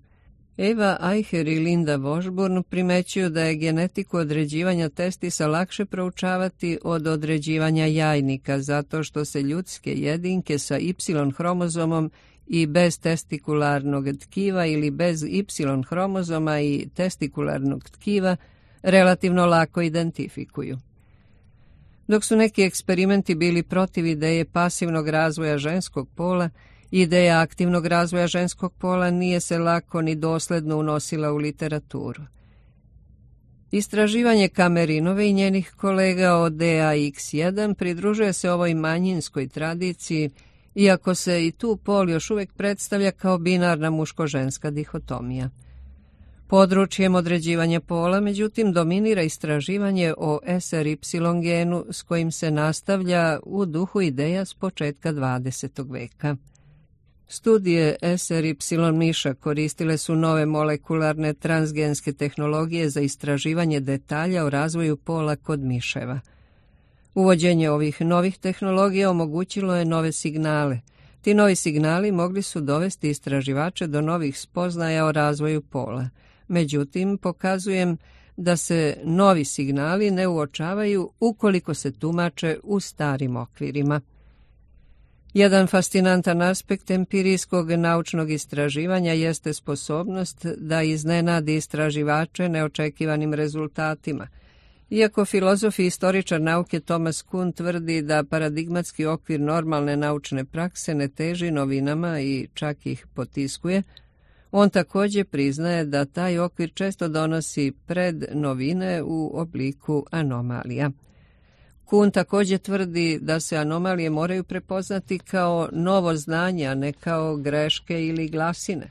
Eva Eicher i Linda Washburn primećuju da je genetiku određivanja testisa lakše proučavati od određivanja jajnika, zato što se ljudske jedinke sa Y hromozomom i bez testikularnog tkiva ili bez Y hromozoma i testikularnog tkiva relativno lako identifikuju. Dok su neki eksperimenti bili protiv ideje pasivnog razvoja ženskog pola, ideja aktivnog razvoja ženskog pola nije se lako ni dosledno unosila u literaturu. Istraživanje Kamerinove i njenih kolega o DAX1 pridružuje se ovoj manjinskoj tradiciji, iako se i tu pol još uvijek predstavlja kao binarna muško-ženska dihotomija. Područjem određivanja pola, međutim, dominira istraživanje o SRY genu s kojim se nastavlja u duhu ideja s početka 20. veka. Studije SRY miša koristile su nove molekularne transgenske tehnologije za istraživanje detalja o razvoju pola kod miševa. Uvođenje ovih novih tehnologija omogućilo je nove signale. Ti novi signali mogli su dovesti istraživače do novih spoznaja o razvoju pola. Međutim, pokazujem da se novi signali ne uočavaju ukoliko se tumače u starim okvirima. Jedan fascinantan aspekt empirijskog naučnog istraživanja jeste sposobnost da iznenadi istraživače neočekivanim rezultatima. Iako filozof i istoričar nauke Thomas Kuhn tvrdi da paradigmatski okvir normalne naučne prakse ne teži novinama i čak ih potiskuje, on također priznaje da taj okvir često donosi pred novine u obliku anomalija. Kuhn također tvrdi da se anomalije moraju prepoznati kao novo znanje, a ne kao greške ili glasine.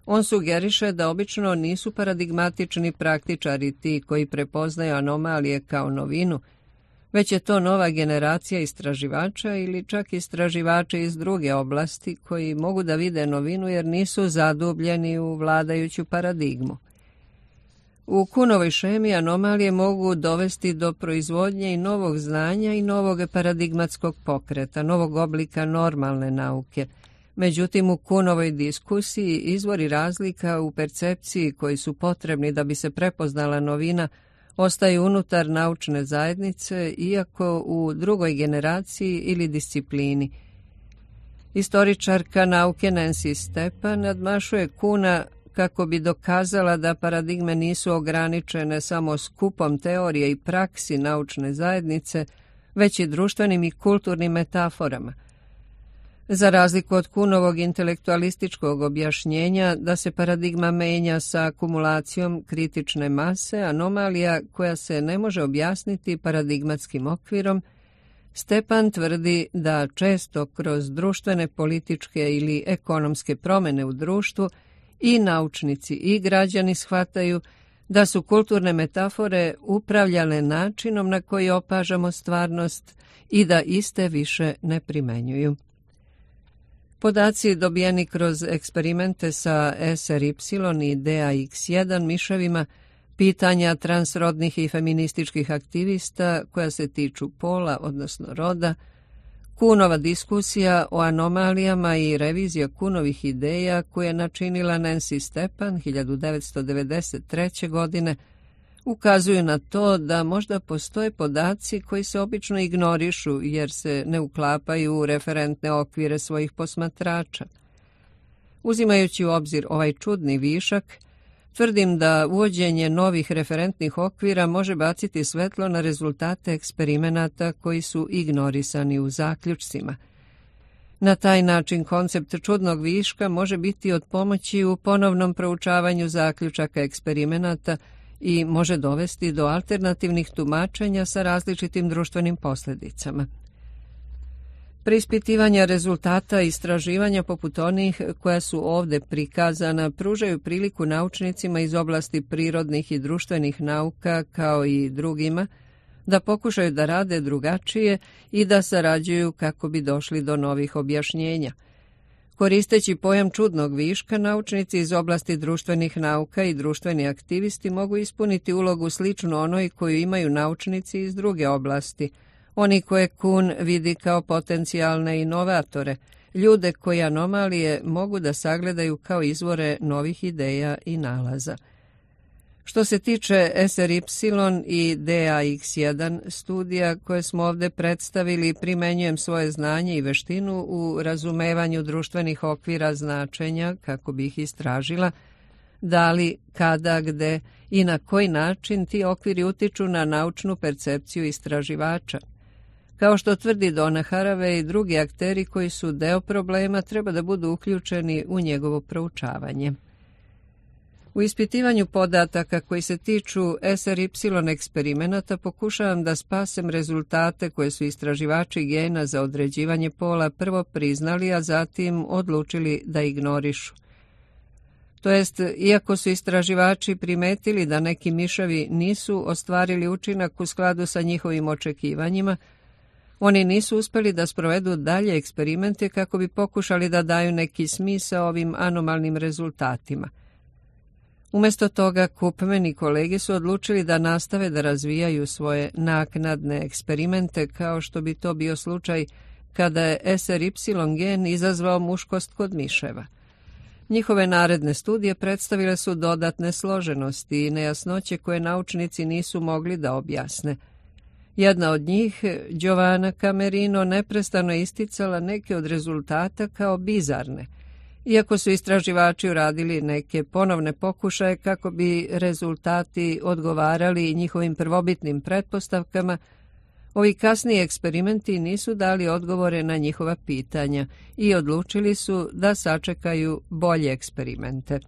On sugeriše da obično nisu paradigmatični praktičari ti koji prepoznaju anomalije kao novinu, već je to nova generacija istraživača ili čak istraživači iz druge oblasti koji mogu da vide novinu jer nisu zadubljeni u vladajuću paradigmu. U Kuhnovoj šemi anomalije mogu dovesti do proizvodnje i novog znanja i novog paradigmatskog pokreta, novog oblika normalne nauke. Međutim, u Kuhnovoj diskusiji izvori razlika u percepciji koji su potrebni da bi se prepoznala novina ostaju unutar naučne zajednice, iako u drugoj generaciji ili disciplini. Istoričarka nauke Nancy Stepan nadmašuje Kuhna kako bi dokazala da paradigme nisu ograničene samo skupom teorije i praksi naučne zajednice, već i društvenim i kulturnim metaforama. Za razliku od Kuhnovog intelektualističkog objašnjenja da se paradigma menja sa akumulacijom kritične mase, anomalija koja se ne može objasniti paradigmatskim okvirom, Stepan tvrdi da često kroz društvene, političke ili ekonomske promjene u društvu i naučnici i građani shvataju da su kulturne metafore upravljale načinom na koji opažamo stvarnost i da iste više ne primenjuju. Podaci dobijeni kroz eksperimente sa SRY i DAX1 miševima, pitanja transrodnih i feminističkih aktivista koja se tiču pola, odnosno roda, Kuhnova diskusija o anomalijama i revizija Kuhnovih ideja koje je načinila Nancy Stepan 1993. godine ukazuju na to da možda postoje podaci koji se obično ignorišu jer se ne uklapaju u referentne okvire svojih posmatrača. Uzimajući u obzir ovaj čudni višak, tvrdim da uvođenje novih referentnih okvira može baciti svetlo na rezultate eksperimenata koji su ignorisani u zaključcima. Na taj način koncept čudnog viška može biti od pomoći u ponovnom proučavanju zaključaka eksperimenata i može dovesti do alternativnih tumačenja sa različitim društvenim posljedicama. Preispitivanja rezultata istraživanja poput onih koja su ovdje prikazana pružaju priliku naučnicima iz oblasti prirodnih i društvenih nauka kao i drugima da pokušaju da rade drugačije i da sarađuju kako bi došli do novih objašnjenja. Koristeći pojam čudnog viška, naučnici iz oblasti društvenih nauka i društveni aktivisti mogu ispuniti ulogu sličnu onoj koju imaju naučnici iz druge oblasti, oni koje Kuhn vidi kao potencijalne inovatore, ljude koji anomalije mogu da sagledaju kao izvore novih ideja i nalaza. Što se tiče SRY i DAX1 studija koje smo ovdje predstavili, primenjujem svoje znanje i veštinu u razumevanju društvenih okvira značenja kako bi ih istražila, da li, kada, gde i na koji način ti okviri utiču na naučnu percepciju istraživača. Kao što tvrdi Donna Haraway i drugi akteri koji su deo problema treba da budu uključeni u njegovo proučavanje. U ispitivanju podataka koji se tiču SRY eksperimenata pokušavam da spasem rezultate koje su istraživači gena za određivanje pola prvo priznali, a zatim odlučili da ignorišu. To jest, iako su istraživači primetili da neki miševi nisu ostvarili učinak u skladu sa njihovim očekivanjima, oni nisu uspjeli da sprovedu dalje eksperimente kako bi pokušali da daju neki smisao ovim anomalnim rezultatima. Umjesto toga, Koopman i kolege su odlučili da nastave da razvijaju svoje naknadne eksperimente kao što bi to bio slučaj kada je SRY gen izazvao muškost kod miševa. Njihove naredne studije predstavile su dodatne složenosti i nejasnoće koje naučnici nisu mogli da objasne. Jedna od njih, Giovanna Camerino, neprestano je isticala neke od rezultata kao bizarne, iako su istraživači uradili neke ponovne pokušaje kako bi rezultati odgovarali njihovim prvobitnim pretpostavkama. Ovi kasniji eksperimenti nisu dali odgovore na njihova pitanja i odlučili su da sačekaju bolje eksperimente.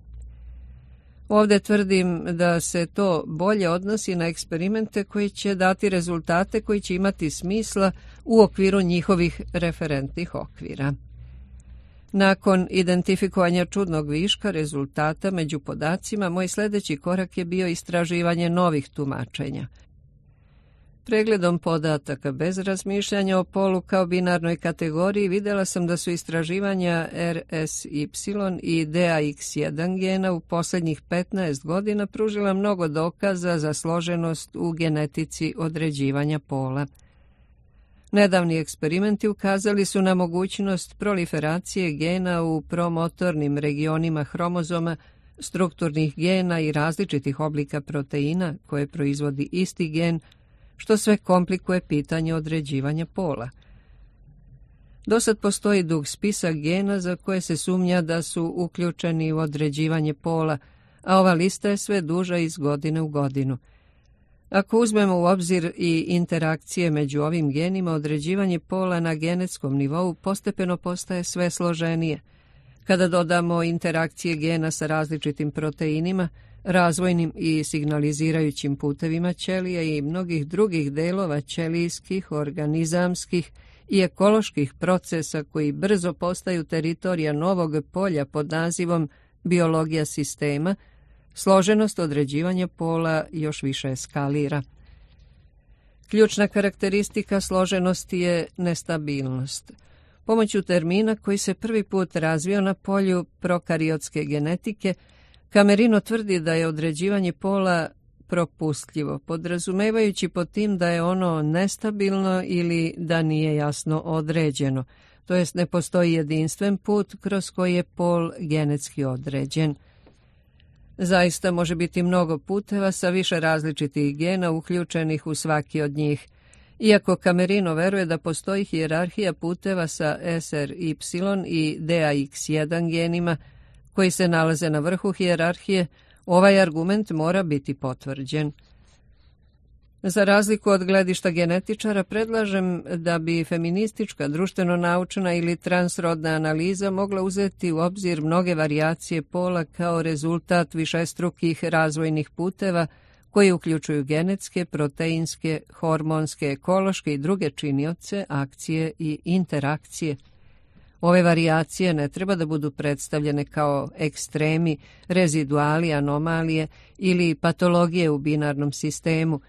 Ovdje tvrdim da se to bolje odnosi na eksperimente koji će dati rezultate koji će imati smisla u okviru njihovih referentnih okvira. Nakon identifikovanja čudnog viška rezultata među podacima, moj sljedeći korak je bio istraživanje novih tumačenja. Pregledom podataka bez razmišljanja o polu kao binarnoj kategoriji vidjela sam da su istraživanja RSY i DAX1 gena u posljednjih 15 godina pružila mnogo dokaza za složenost u genetici određivanja pola. Nedavni eksperimenti ukazali su na mogućnost proliferacije gena u promotornim regionima hromozoma, strukturnih gena i različitih oblika proteina koje proizvodi isti gen, što sve komplikuje pitanje određivanja pola. Dosad postoji dug spisak gena za koje se sumnja da su uključeni u određivanje pola, a ova lista je sve duža iz godine u godinu. Ako uzmemo u obzir i interakcije među ovim genima, određivanje pola na genetskom nivou postepeno postaje sve složenije. Kada dodamo interakcije gena sa različitim proteinima, razvojnim i signalizirajućim putevima ćelija i mnogih drugih delova ćelijskih, organizamskih i ekoloških procesa koji brzo postaju teritorija novog polja pod nazivom biologija sistema, složenost određivanja pola još više eskalira. Ključna karakteristika složenosti je nestabilnost. Pomoću termina koji se prvi put razvio na polju prokariotske genetike, Camerino tvrdi da je određivanje pola propustljivo, podrazumevajući pod tim da je ono nestabilno ili da nije jasno određeno, to jest ne postoji jedinstven put kroz koji je pol genetski određen. Zaista može biti mnogo puteva sa više različitih gena uključenih u svaki od njih. Iako Camerino veruje da postoji hijerarhija puteva sa SRY i DAX1 genima, koji se nalaze na vrhu hijerarhije, ovaj argument mora biti potvrđen. Za razliku od gledišta genetičara, predlažem da bi feministička, društveno-naučna ili transrodna analiza mogla uzeti u obzir mnoge varijacije pola kao rezultat višestrukih razvojnih puteva koji uključuju genetske, proteinske, hormonske, ekološke i druge činioce, akcije i interakcije. Ove varijacije ne treba da budu predstavljene kao ekstremi, reziduali, anomalije ili patologije u binarnom sistemu.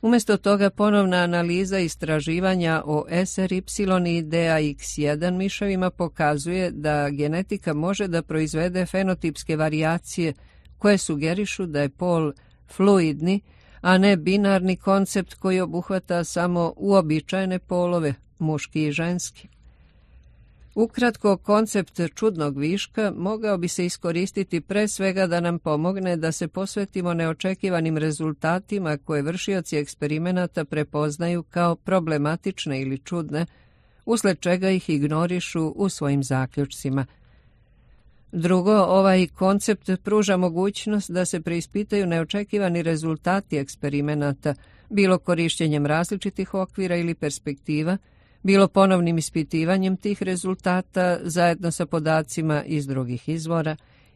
Umjesto toga ponovna analiza istraživanja o SRY i DAX1 miševima pokazuje da genetika može da proizvede fenotipske varijacije koje sugerišu da je pol fluidni, a ne binarni koncept koji obuhvata samo uobičajene polove, muški i ženski. Ukratko, koncept čudnog viška mogao bi se iskoristiti pre svega da nam pomogne da se posvetimo neočekivanim rezultatima koje vršioci eksperimenata prepoznaju kao problematične ili čudne, usled čega ih ignorišu u svojim zaključcima. Drugo, ovaj koncept pruža mogućnost da se preispitaju neočekivani rezultati eksperimenata, bilo korištenjem različitih okvira ili perspektiva, bilo ponovnim ispitivanjem tih rezultata zajedno sa podacima iz drugih izvora.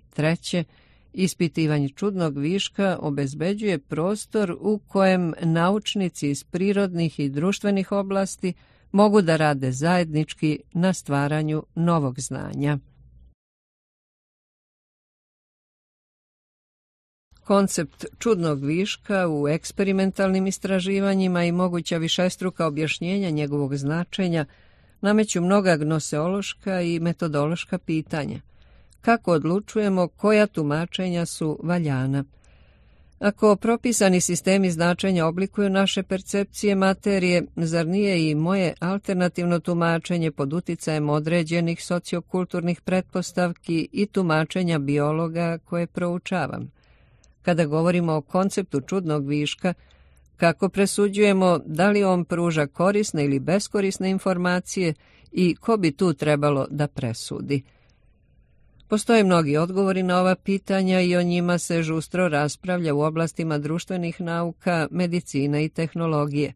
Treće, ispitivanje čudnog viška obezbeđuje prostor u kojem naučnici iz prirodnih i društvenih oblasti mogu da rade zajednički na stvaranju novog znanja. Koncept čudnog viška u eksperimentalnim istraživanjima i moguća višestruka objašnjenja njegovog značenja nameću mnoga gnoseološka i metodološka pitanja. Kako odlučujemo koja tumačenja su valjana? Ako propisani sistemi značenja oblikuju naše percepcije materije, zar nije i moje alternativno tumačenje pod uticajem određenih sociokulturnih pretpostavki i tumačenja biologa koje proučavam? Kada govorimo o konceptu čudnog viška, kako presuđujemo da li on pruža korisne ili beskorisne informacije i ko bi tu trebalo da presudi? Postoje mnogi odgovori na ova pitanja i o njima se žustro raspravlja u oblastima društvenih nauka, medicine i tehnologije.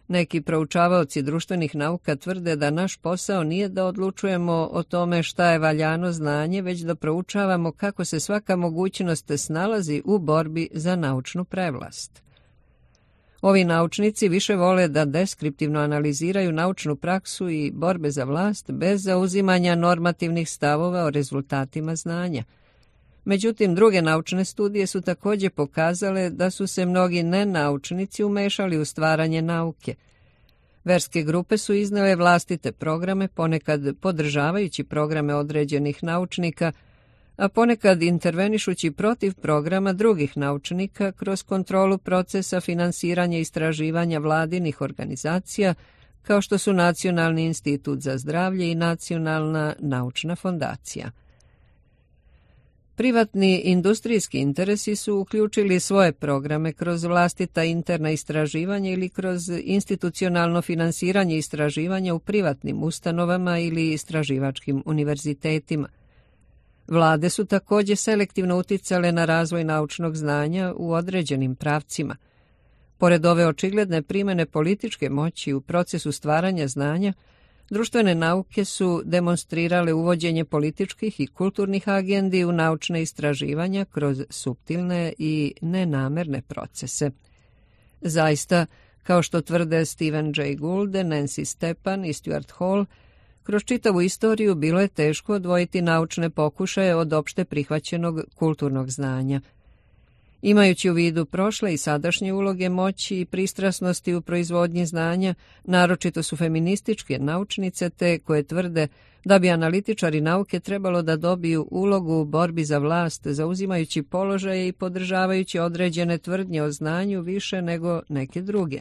Neki proučavaoci društvenih nauka tvrde da naš posao nije da odlučujemo o tome šta je valjano znanje, već da proučavamo kako se svaka mogućnost snalazi u borbi za naučnu prevlast. Ovi naučnici više vole da deskriptivno analiziraju naučnu praksu i borbe za vlast bez zauzimanja normativnih stavova o rezultatima znanja. Međutim, druge naučne studije su također pokazale da su se mnogi nenaučnici umešali u stvaranje nauke. Verske grupe su iznele vlastite programe, ponekad podržavajući programe određenih naučnika, a ponekad intervenišući protiv programa drugih naučnika kroz kontrolu procesa finansiranja i istraživanja vladinih organizacija, kao što su Nacionalni institut za zdravlje i Nacionalna naučna fondacija. Privatni industrijski interesi su uključili svoje programe kroz vlastita interna istraživanja ili kroz institucionalno finansiranje istraživanja u privatnim ustanovama ili istraživačkim univerzitetima. Vlade su također selektivno uticale na razvoj naučnog znanja u određenim pravcima. Pored ove očigledne primjene političke moći u procesu stvaranja znanja, društvene nauke su demonstrirale uvođenje političkih i kulturnih agendi u naučne istraživanja kroz suptilne i nenamerne procese. Zaista, kao što tvrde Stephen Jay Gould, Nancy Stepan i Stuart Hall, kroz čitavu istoriju bilo je teško odvojiti naučne pokušaje od opšte prihvaćenog kulturnog znanja. Imajući u vidu prošle i sadašnje uloge moći i pristrasnosti u proizvodnji znanja, naročito su feminističke naučnice te koje tvrde da bi analitičari nauke trebalo da dobiju ulogu u borbi za vlast, zauzimajući položaje i podržavajući određene tvrdnje o znanju više nego neke druge.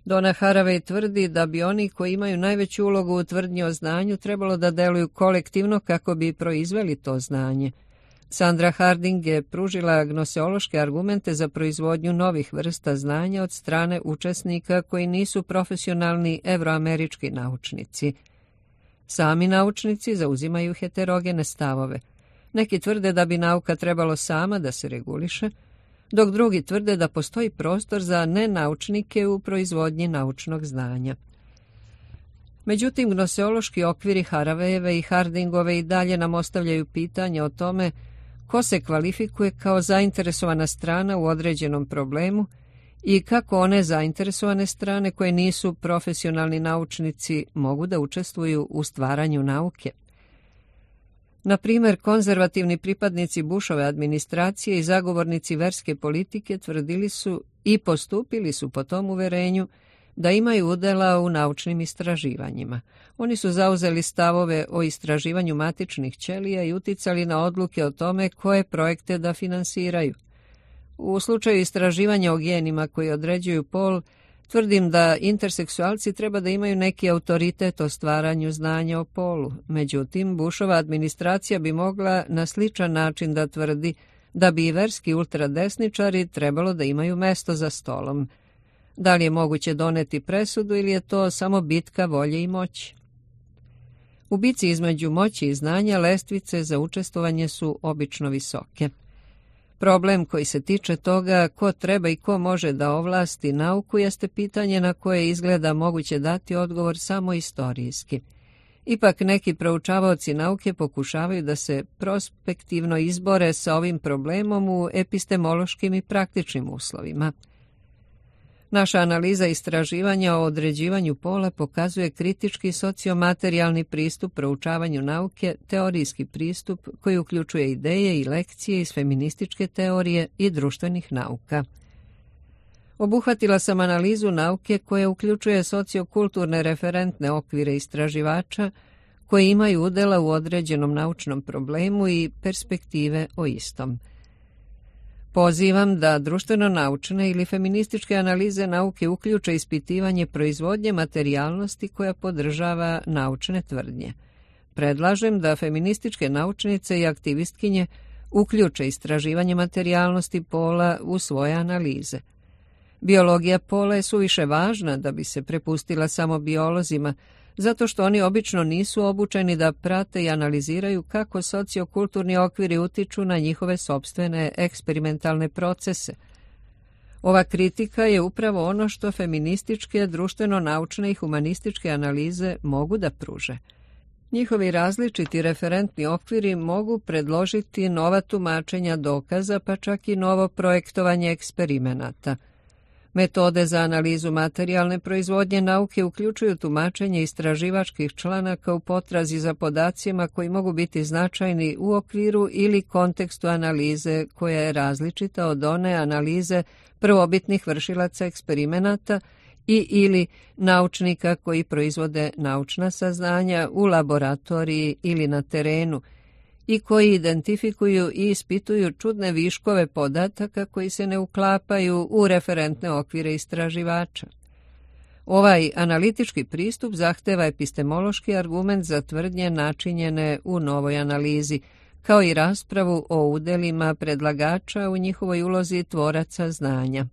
Donna Haraway tvrdi da bi oni koji imaju najveću ulogu u tvrdnji o znanju trebalo da deluju kolektivno kako bi proizveli to znanje. Sandra Harding je pružila gnoseološke argumente za proizvodnju novih vrsta znanja od strane učesnika koji nisu profesionalni evroamerički naučnici. Sami naučnici zauzimaju heterogene stavove. Neki tvrde da bi nauka trebalo sama da se reguliše, dok drugi tvrde da postoji prostor za nenaučnike u proizvodnji naučnog znanja. Međutim, gnoseološki okviri Harawayeve i Hardingove i dalje nam ostavljaju pitanje o tome ko se kvalifikuje kao zainteresovana strana u određenom problemu i kako one zainteresovane strane koje nisu profesionalni naučnici mogu da učestvuju u stvaranju nauke. Na primjer, konzervativni pripadnici Bushove administracije i zagovornici verske politike tvrdili su i postupili su po tom uverenju da imaju udjela u naučnim istraživanjima. Oni su zauzeli stavove o istraživanju matičnih ćelija i uticali na odluke o tome koje projekte da finansiraju. U slučaju istraživanja o genima koji određuju pol, tvrdim da interseksualci treba da imaju neki autoritet o stvaranju znanja o polu. Međutim, Bushova administracija bi mogla na sličan način da tvrdi da bi i verski ultradesničari trebalo da imaju mesto za stolom. Da li je moguće doneti presudu ili je to samo bitka volje i moći? U bici između moći i znanja lestvice za učestvovanje su obično visoke. Problem koji se tiče toga ko treba i ko može da ovlasti nauku jeste pitanje na koje izgleda moguće dati odgovor samo istorijski. Ipak neki proučavaoci nauke pokušavaju da se prospektivno izbore sa ovim problemom u epistemološkim i praktičnim uslovima. Naša analiza istraživanja o određivanju pola pokazuje kritički sociomaterijalni pristup proučavanju nauke, teorijski pristup koji uključuje ideje i lekcije iz feminističke teorije i društvenih nauka. Obuhvatila sam analizu nauke koja uključuje sociokulturne referentne okvire istraživača koji imaju udjela u određenom naučnom problemu i perspektive o istom. Pozivam da društveno-naučne ili feminističke analize nauke uključe ispitivanje proizvodnje materijalnosti koja podržava naučne tvrdnje. Predlažem da feminističke naučnice i aktivistkinje uključe istraživanje materijalnosti pola u svoje analize. Biologija pola je suviše važna da bi se prepustila samo biolozima, zato što oni obično nisu obučeni da prate i analiziraju kako sociokulturni okviri utiču na njihove sopstvene eksperimentalne procese. Ova kritika je upravo ono što feminističke, društveno-naučne i humanističke analize mogu da pruže. Njihovi različiti referentni okviri mogu predložiti nova tumačenja dokaza, pa čak i novo projektovanje eksperimenata. Metode za analizu materijalne proizvodnje nauke uključuju tumačenje istraživačkih članaka u potrazi za podacima koji mogu biti značajni u okviru ili kontekstu analize koja je različita od one analize prvobitnih vršilaca eksperimenata ili naučnika koji proizvode naučna saznanja u laboratoriji ili na terenu i koji identifikuju i ispituju čudne viškove podataka koji se ne uklapaju u referentne okvire istraživača. Ovaj analitički pristup zahteva epistemološki argument za tvrdnje načinjene u novoj analizi, kao i raspravu o udelima predlagača u njihovoj ulozi tvoraca znanja.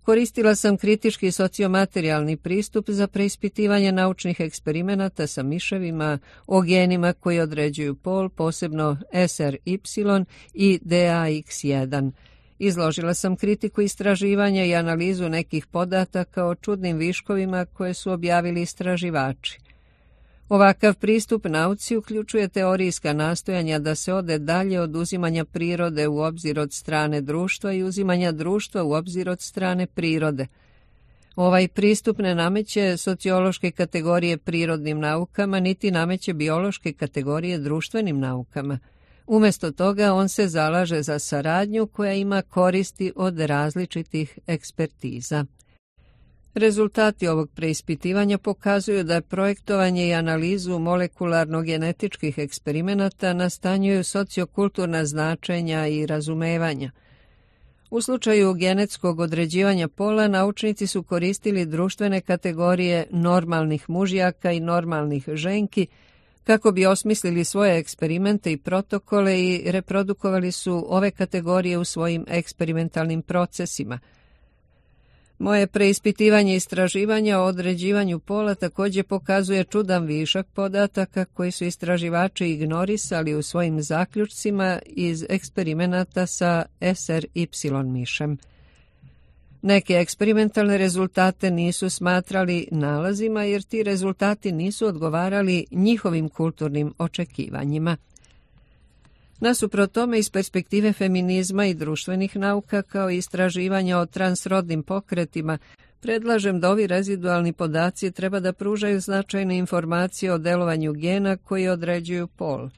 Koristila sam kritički sociomaterijalni pristup za preispitivanje naučnih eksperimenata sa miševima o genima koji određuju pol, posebno SRY i DAX1. Izložila sam kritiku istraživanja i analizu nekih podataka o čudnim viškovima koje su objavili istraživači. Ovakav pristup nauci uključuje teorijska nastojanja da se ode dalje od uzimanja prirode u obzir od strane društva i uzimanja društva u obzir od strane prirode. Ovaj pristup ne nameće sociološke kategorije prirodnim naukama, niti nameće biološke kategorije društvenim naukama. Umjesto toga on se zalaže za saradnju koja ima koristi od različitih ekspertiza. Rezultati ovog preispitivanja pokazuju da projektovanje i analizu molekularno-genetičkih eksperimenata nastanjuju sociokulturna značenja i razumevanja. U slučaju genetskog određivanja pola, naučnici su koristili društvene kategorije normalnih mužjaka i normalnih ženki kako bi osmislili svoje eksperimente i protokole i reprodukovali su ove kategorije u svojim eksperimentalnim procesima. Moje preispitivanje i istraživanja o određivanju pola također pokazuje čudan višak podataka koji su istraživači ignorisali u svojim zaključcima iz eksperimenata sa SRY mišem. Neke eksperimentalne rezultate nisu smatrali nalazima jer ti rezultati nisu odgovarali njihovim kulturnim očekivanjima. Nasuprot tome, iz perspektive feminizma i društvenih nauka kao i istraživanja o transrodnim pokretima, predlažem da ovi rezidualni podaci treba da pružaju značajne informacije o delovanju gena koji određuju pol.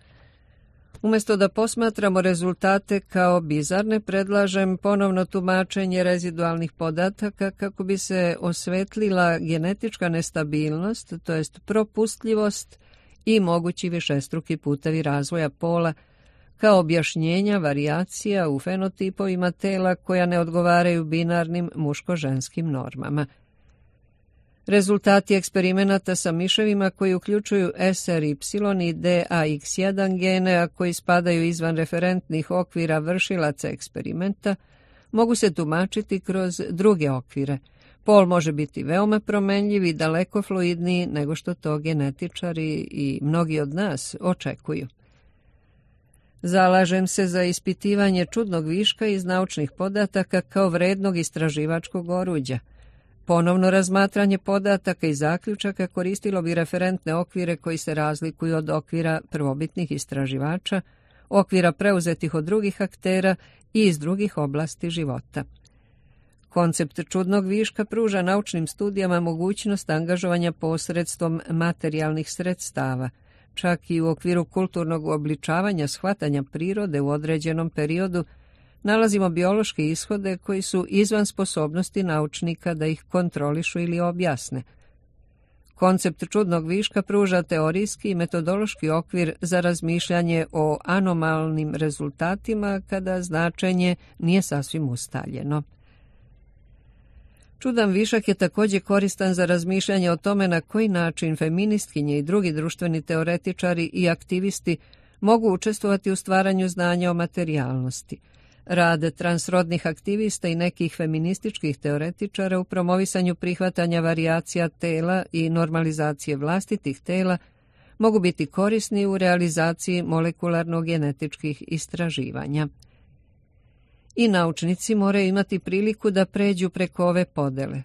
Umjesto da posmatramo rezultate kao bizarne, predlažem ponovno tumačenje rezidualnih podataka kako bi se osvetlila genetička nestabilnost, to jest propustljivost i mogući višestruki putevi razvoja pola, kao objašnjenja varijacija u fenotipovima tela koja ne odgovaraju binarnim muško-ženskim normama. Rezultati eksperimenata sa miševima koji uključuju SRY i DAX1 gene, a koji spadaju izvan referentnih okvira vršilaca eksperimenta, mogu se tumačiti kroz druge okvire. Pol može biti veoma promenljiv i daleko fluidniji nego što to genetičari i mnogi od nas očekuju. Zalažem se za ispitivanje čudnog viška iz naučnih podataka kao vrednog istraživačkog oruđa. Ponovno razmatranje podataka i zaključaka koristilo bi referentne okvire koji se razlikuju od okvira prvobitnih istraživača, okvira preuzetih od drugih aktera i iz drugih oblasti života. Koncept čudnog viška pruža naučnim studijama mogućnost angažovanja posredstvom materijalnih sredstava. Čak i u okviru kulturnog uobličavanja shvatanja prirode u određenom periodu nalazimo biološke ishode koji su izvan sposobnosti naučnika da ih kontrolišu ili objasne. Koncept čudnog viška pruža teorijski i metodološki okvir za razmišljanje o anomalnim rezultatima kada značenje nije sasvim ustaljeno. Čudan višak je također koristan za razmišljanje o tome na koji način feministkinje i drugi društveni teoretičari i aktivisti mogu učestvovati u stvaranju znanja o materijalnosti. Rad transrodnih aktivista i nekih feminističkih teoretičara u promovisanju prihvatanja varijacija tela i normalizacije vlastitih tela mogu biti korisni u realizaciji molekularno-genetičkih istraživanja. I naučnici moraju imati priliku da pređu preko ove podele.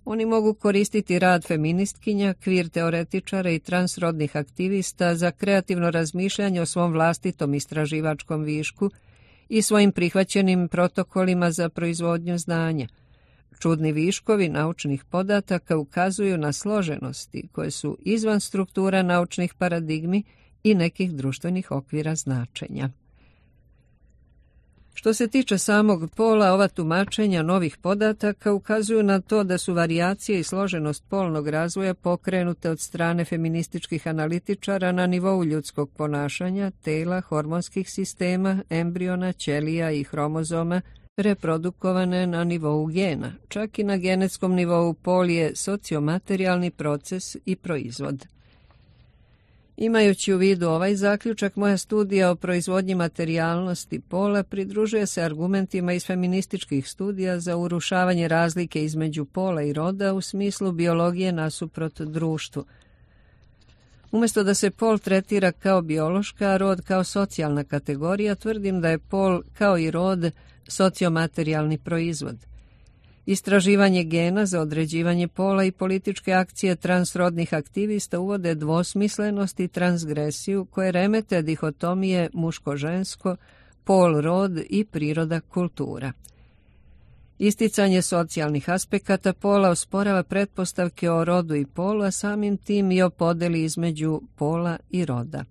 Oni mogu koristiti rad feministkinja, kvir teoretičara i transrodnih aktivista za kreativno razmišljanje o svom vlastitom istraživačkom višku i svojim prihvaćenim protokolima za proizvodnju znanja. Čudni viškovi naučnih podataka ukazuju na složenosti koje su izvan struktura naučnih paradigmi i nekih društvenih okvira značenja. Što se tiče samog pola, ova tumačenja novih podataka ukazuju na to da su varijacije i složenost polnog razvoja pokrenute od strane feminističkih analitičara na nivou ljudskog ponašanja, tela, hormonskih sistema, embriona, ćelija i hromozoma, reprodukovane na nivou gena. Čak i na genetskom nivou pol je sociomaterijalni proces i proizvod. Imajući u vidu ovaj zaključak, moja studija o proizvodnji materijalnosti pola pridružuje se argumentima iz feminističkih studija za urušavanje razlike između pola i roda u smislu biologije nasuprot društvu. Umjesto da se pol tretira kao biološka, a rod kao socijalna kategorija, tvrdim da je pol, kao i rod, sociomaterijalni proizvod. Istraživanje gena za određivanje pola i političke akcije transrodnih aktivista uvode dvosmislenost i transgresiju koje remete dihotomije muško-žensko, pol-rod i priroda-kultura. Isticanje socijalnih aspekata pola osporava pretpostavke o rodu i polu, a samim tim i o podeli između pola i roda.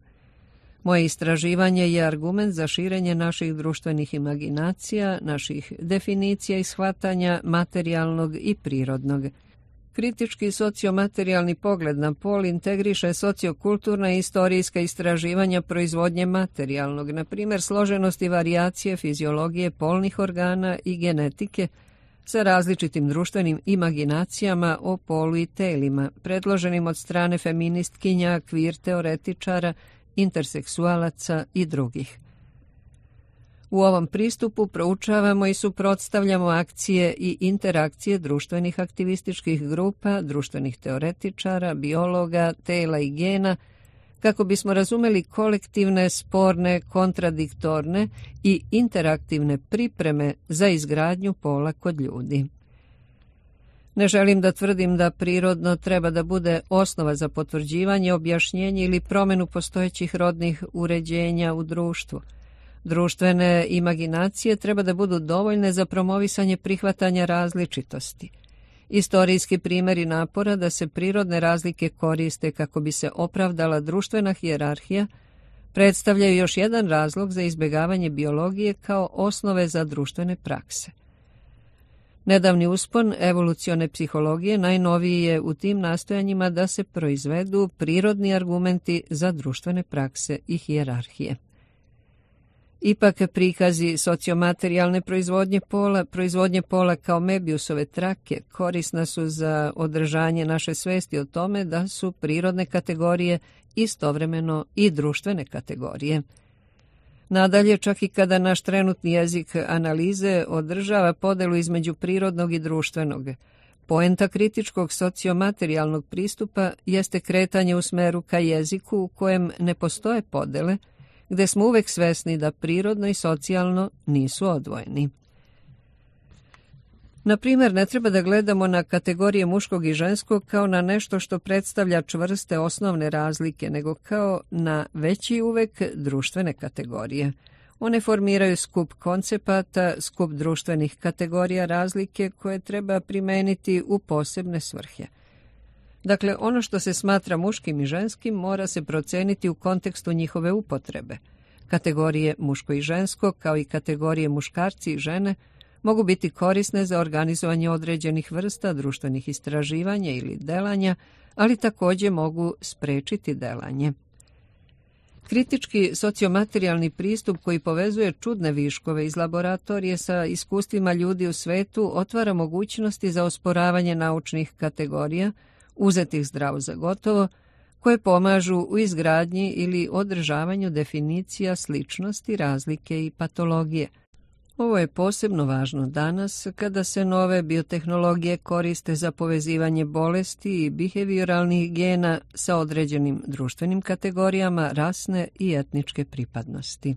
Moje istraživanje je argument za širenje naših društvenih imaginacija, naših definicija i shvatanja materijalnog i prirodnog. Kritički sociomaterijalni pogled na pol integriše sociokulturna i istorijska istraživanja proizvodnje materijalnog, na primjer složenost i varijacije fiziologije polnih organa i genetike sa različitim društvenim imaginacijama o polu i telima, predloženim od strane feministkinja, queer teoretičara, interseksualaca i drugih. U ovom pristupu proučavamo i suprotstavljamo akcije i interakcije društvenih aktivističkih grupa, društvenih teoretičara, biologa, tela i gena, kako bismo razumeli kolektivne, sporne, kontradiktorne i interaktivne pripreme za izgradnju pola kod ljudi. Ne želim da tvrdim da prirodno treba da bude osnova za potvrđivanje, objašnjenje ili promjenu postojećih rodnih uređenja u društvu. Društvene imaginacije treba da budu dovoljne za promovisanje prihvatanja različitosti. Istorijski primjeri napora da se prirodne razlike koriste kako bi se opravdala društvena hijerarhija predstavljaju još jedan razlog za izbjegavanje biologije kao osnove za društvene prakse. Nedavni uspon evolucione psihologije najnoviji je u tim nastojanjima da se proizvedu prirodni argumenti za društvene prakse i hijerarhije. Ipak prikazi sociomaterijalne proizvodnje pola kao Mebijusove trake korisna su za održanje naše svesti o tome da su prirodne kategorije istovremeno i društvene kategorije. Nadalje, čak i kada naš trenutni jezik analize održava podelu između prirodnog i društvenog, poenta kritičkog sociomaterijalnog pristupa jeste kretanje u smeru ka jeziku u kojem ne postoje podele, gde smo uvek svesni da prirodno i socijalno nisu odvojeni. Na primjer, ne treba da gledamo na kategorije muškog i ženskog kao na nešto što predstavlja čvrste osnovne razlike, nego kao na veći uvek društvene kategorije. One formiraju skup koncepata, skup društvenih kategorija razlike koje treba primeniti u posebne svrhe. Dakle, ono što se smatra muškim i ženskim mora se proceniti u kontekstu njihove upotrebe. Kategorije muško i žensko, kao i kategorije muškarci i žene, mogu biti korisne za organizovanje određenih vrsta društvenih istraživanja ili delanja, ali također mogu sprečiti delanje. Kritički sociomaterijalni pristup koji povezuje čudne viškove iz laboratorije sa iskustvima ljudi u svetu otvara mogućnosti za osporavanje naučnih kategorija, uzetih zdravo za gotovo, koje pomažu u izgradnji ili održavanju definicija sličnosti, razlike i patologije. Ovo je posebno važno danas kada se nove biotehnologije koriste za povezivanje bolesti i behavioralnih gena sa određenim društvenim kategorijama rasne i etničke pripadnosti.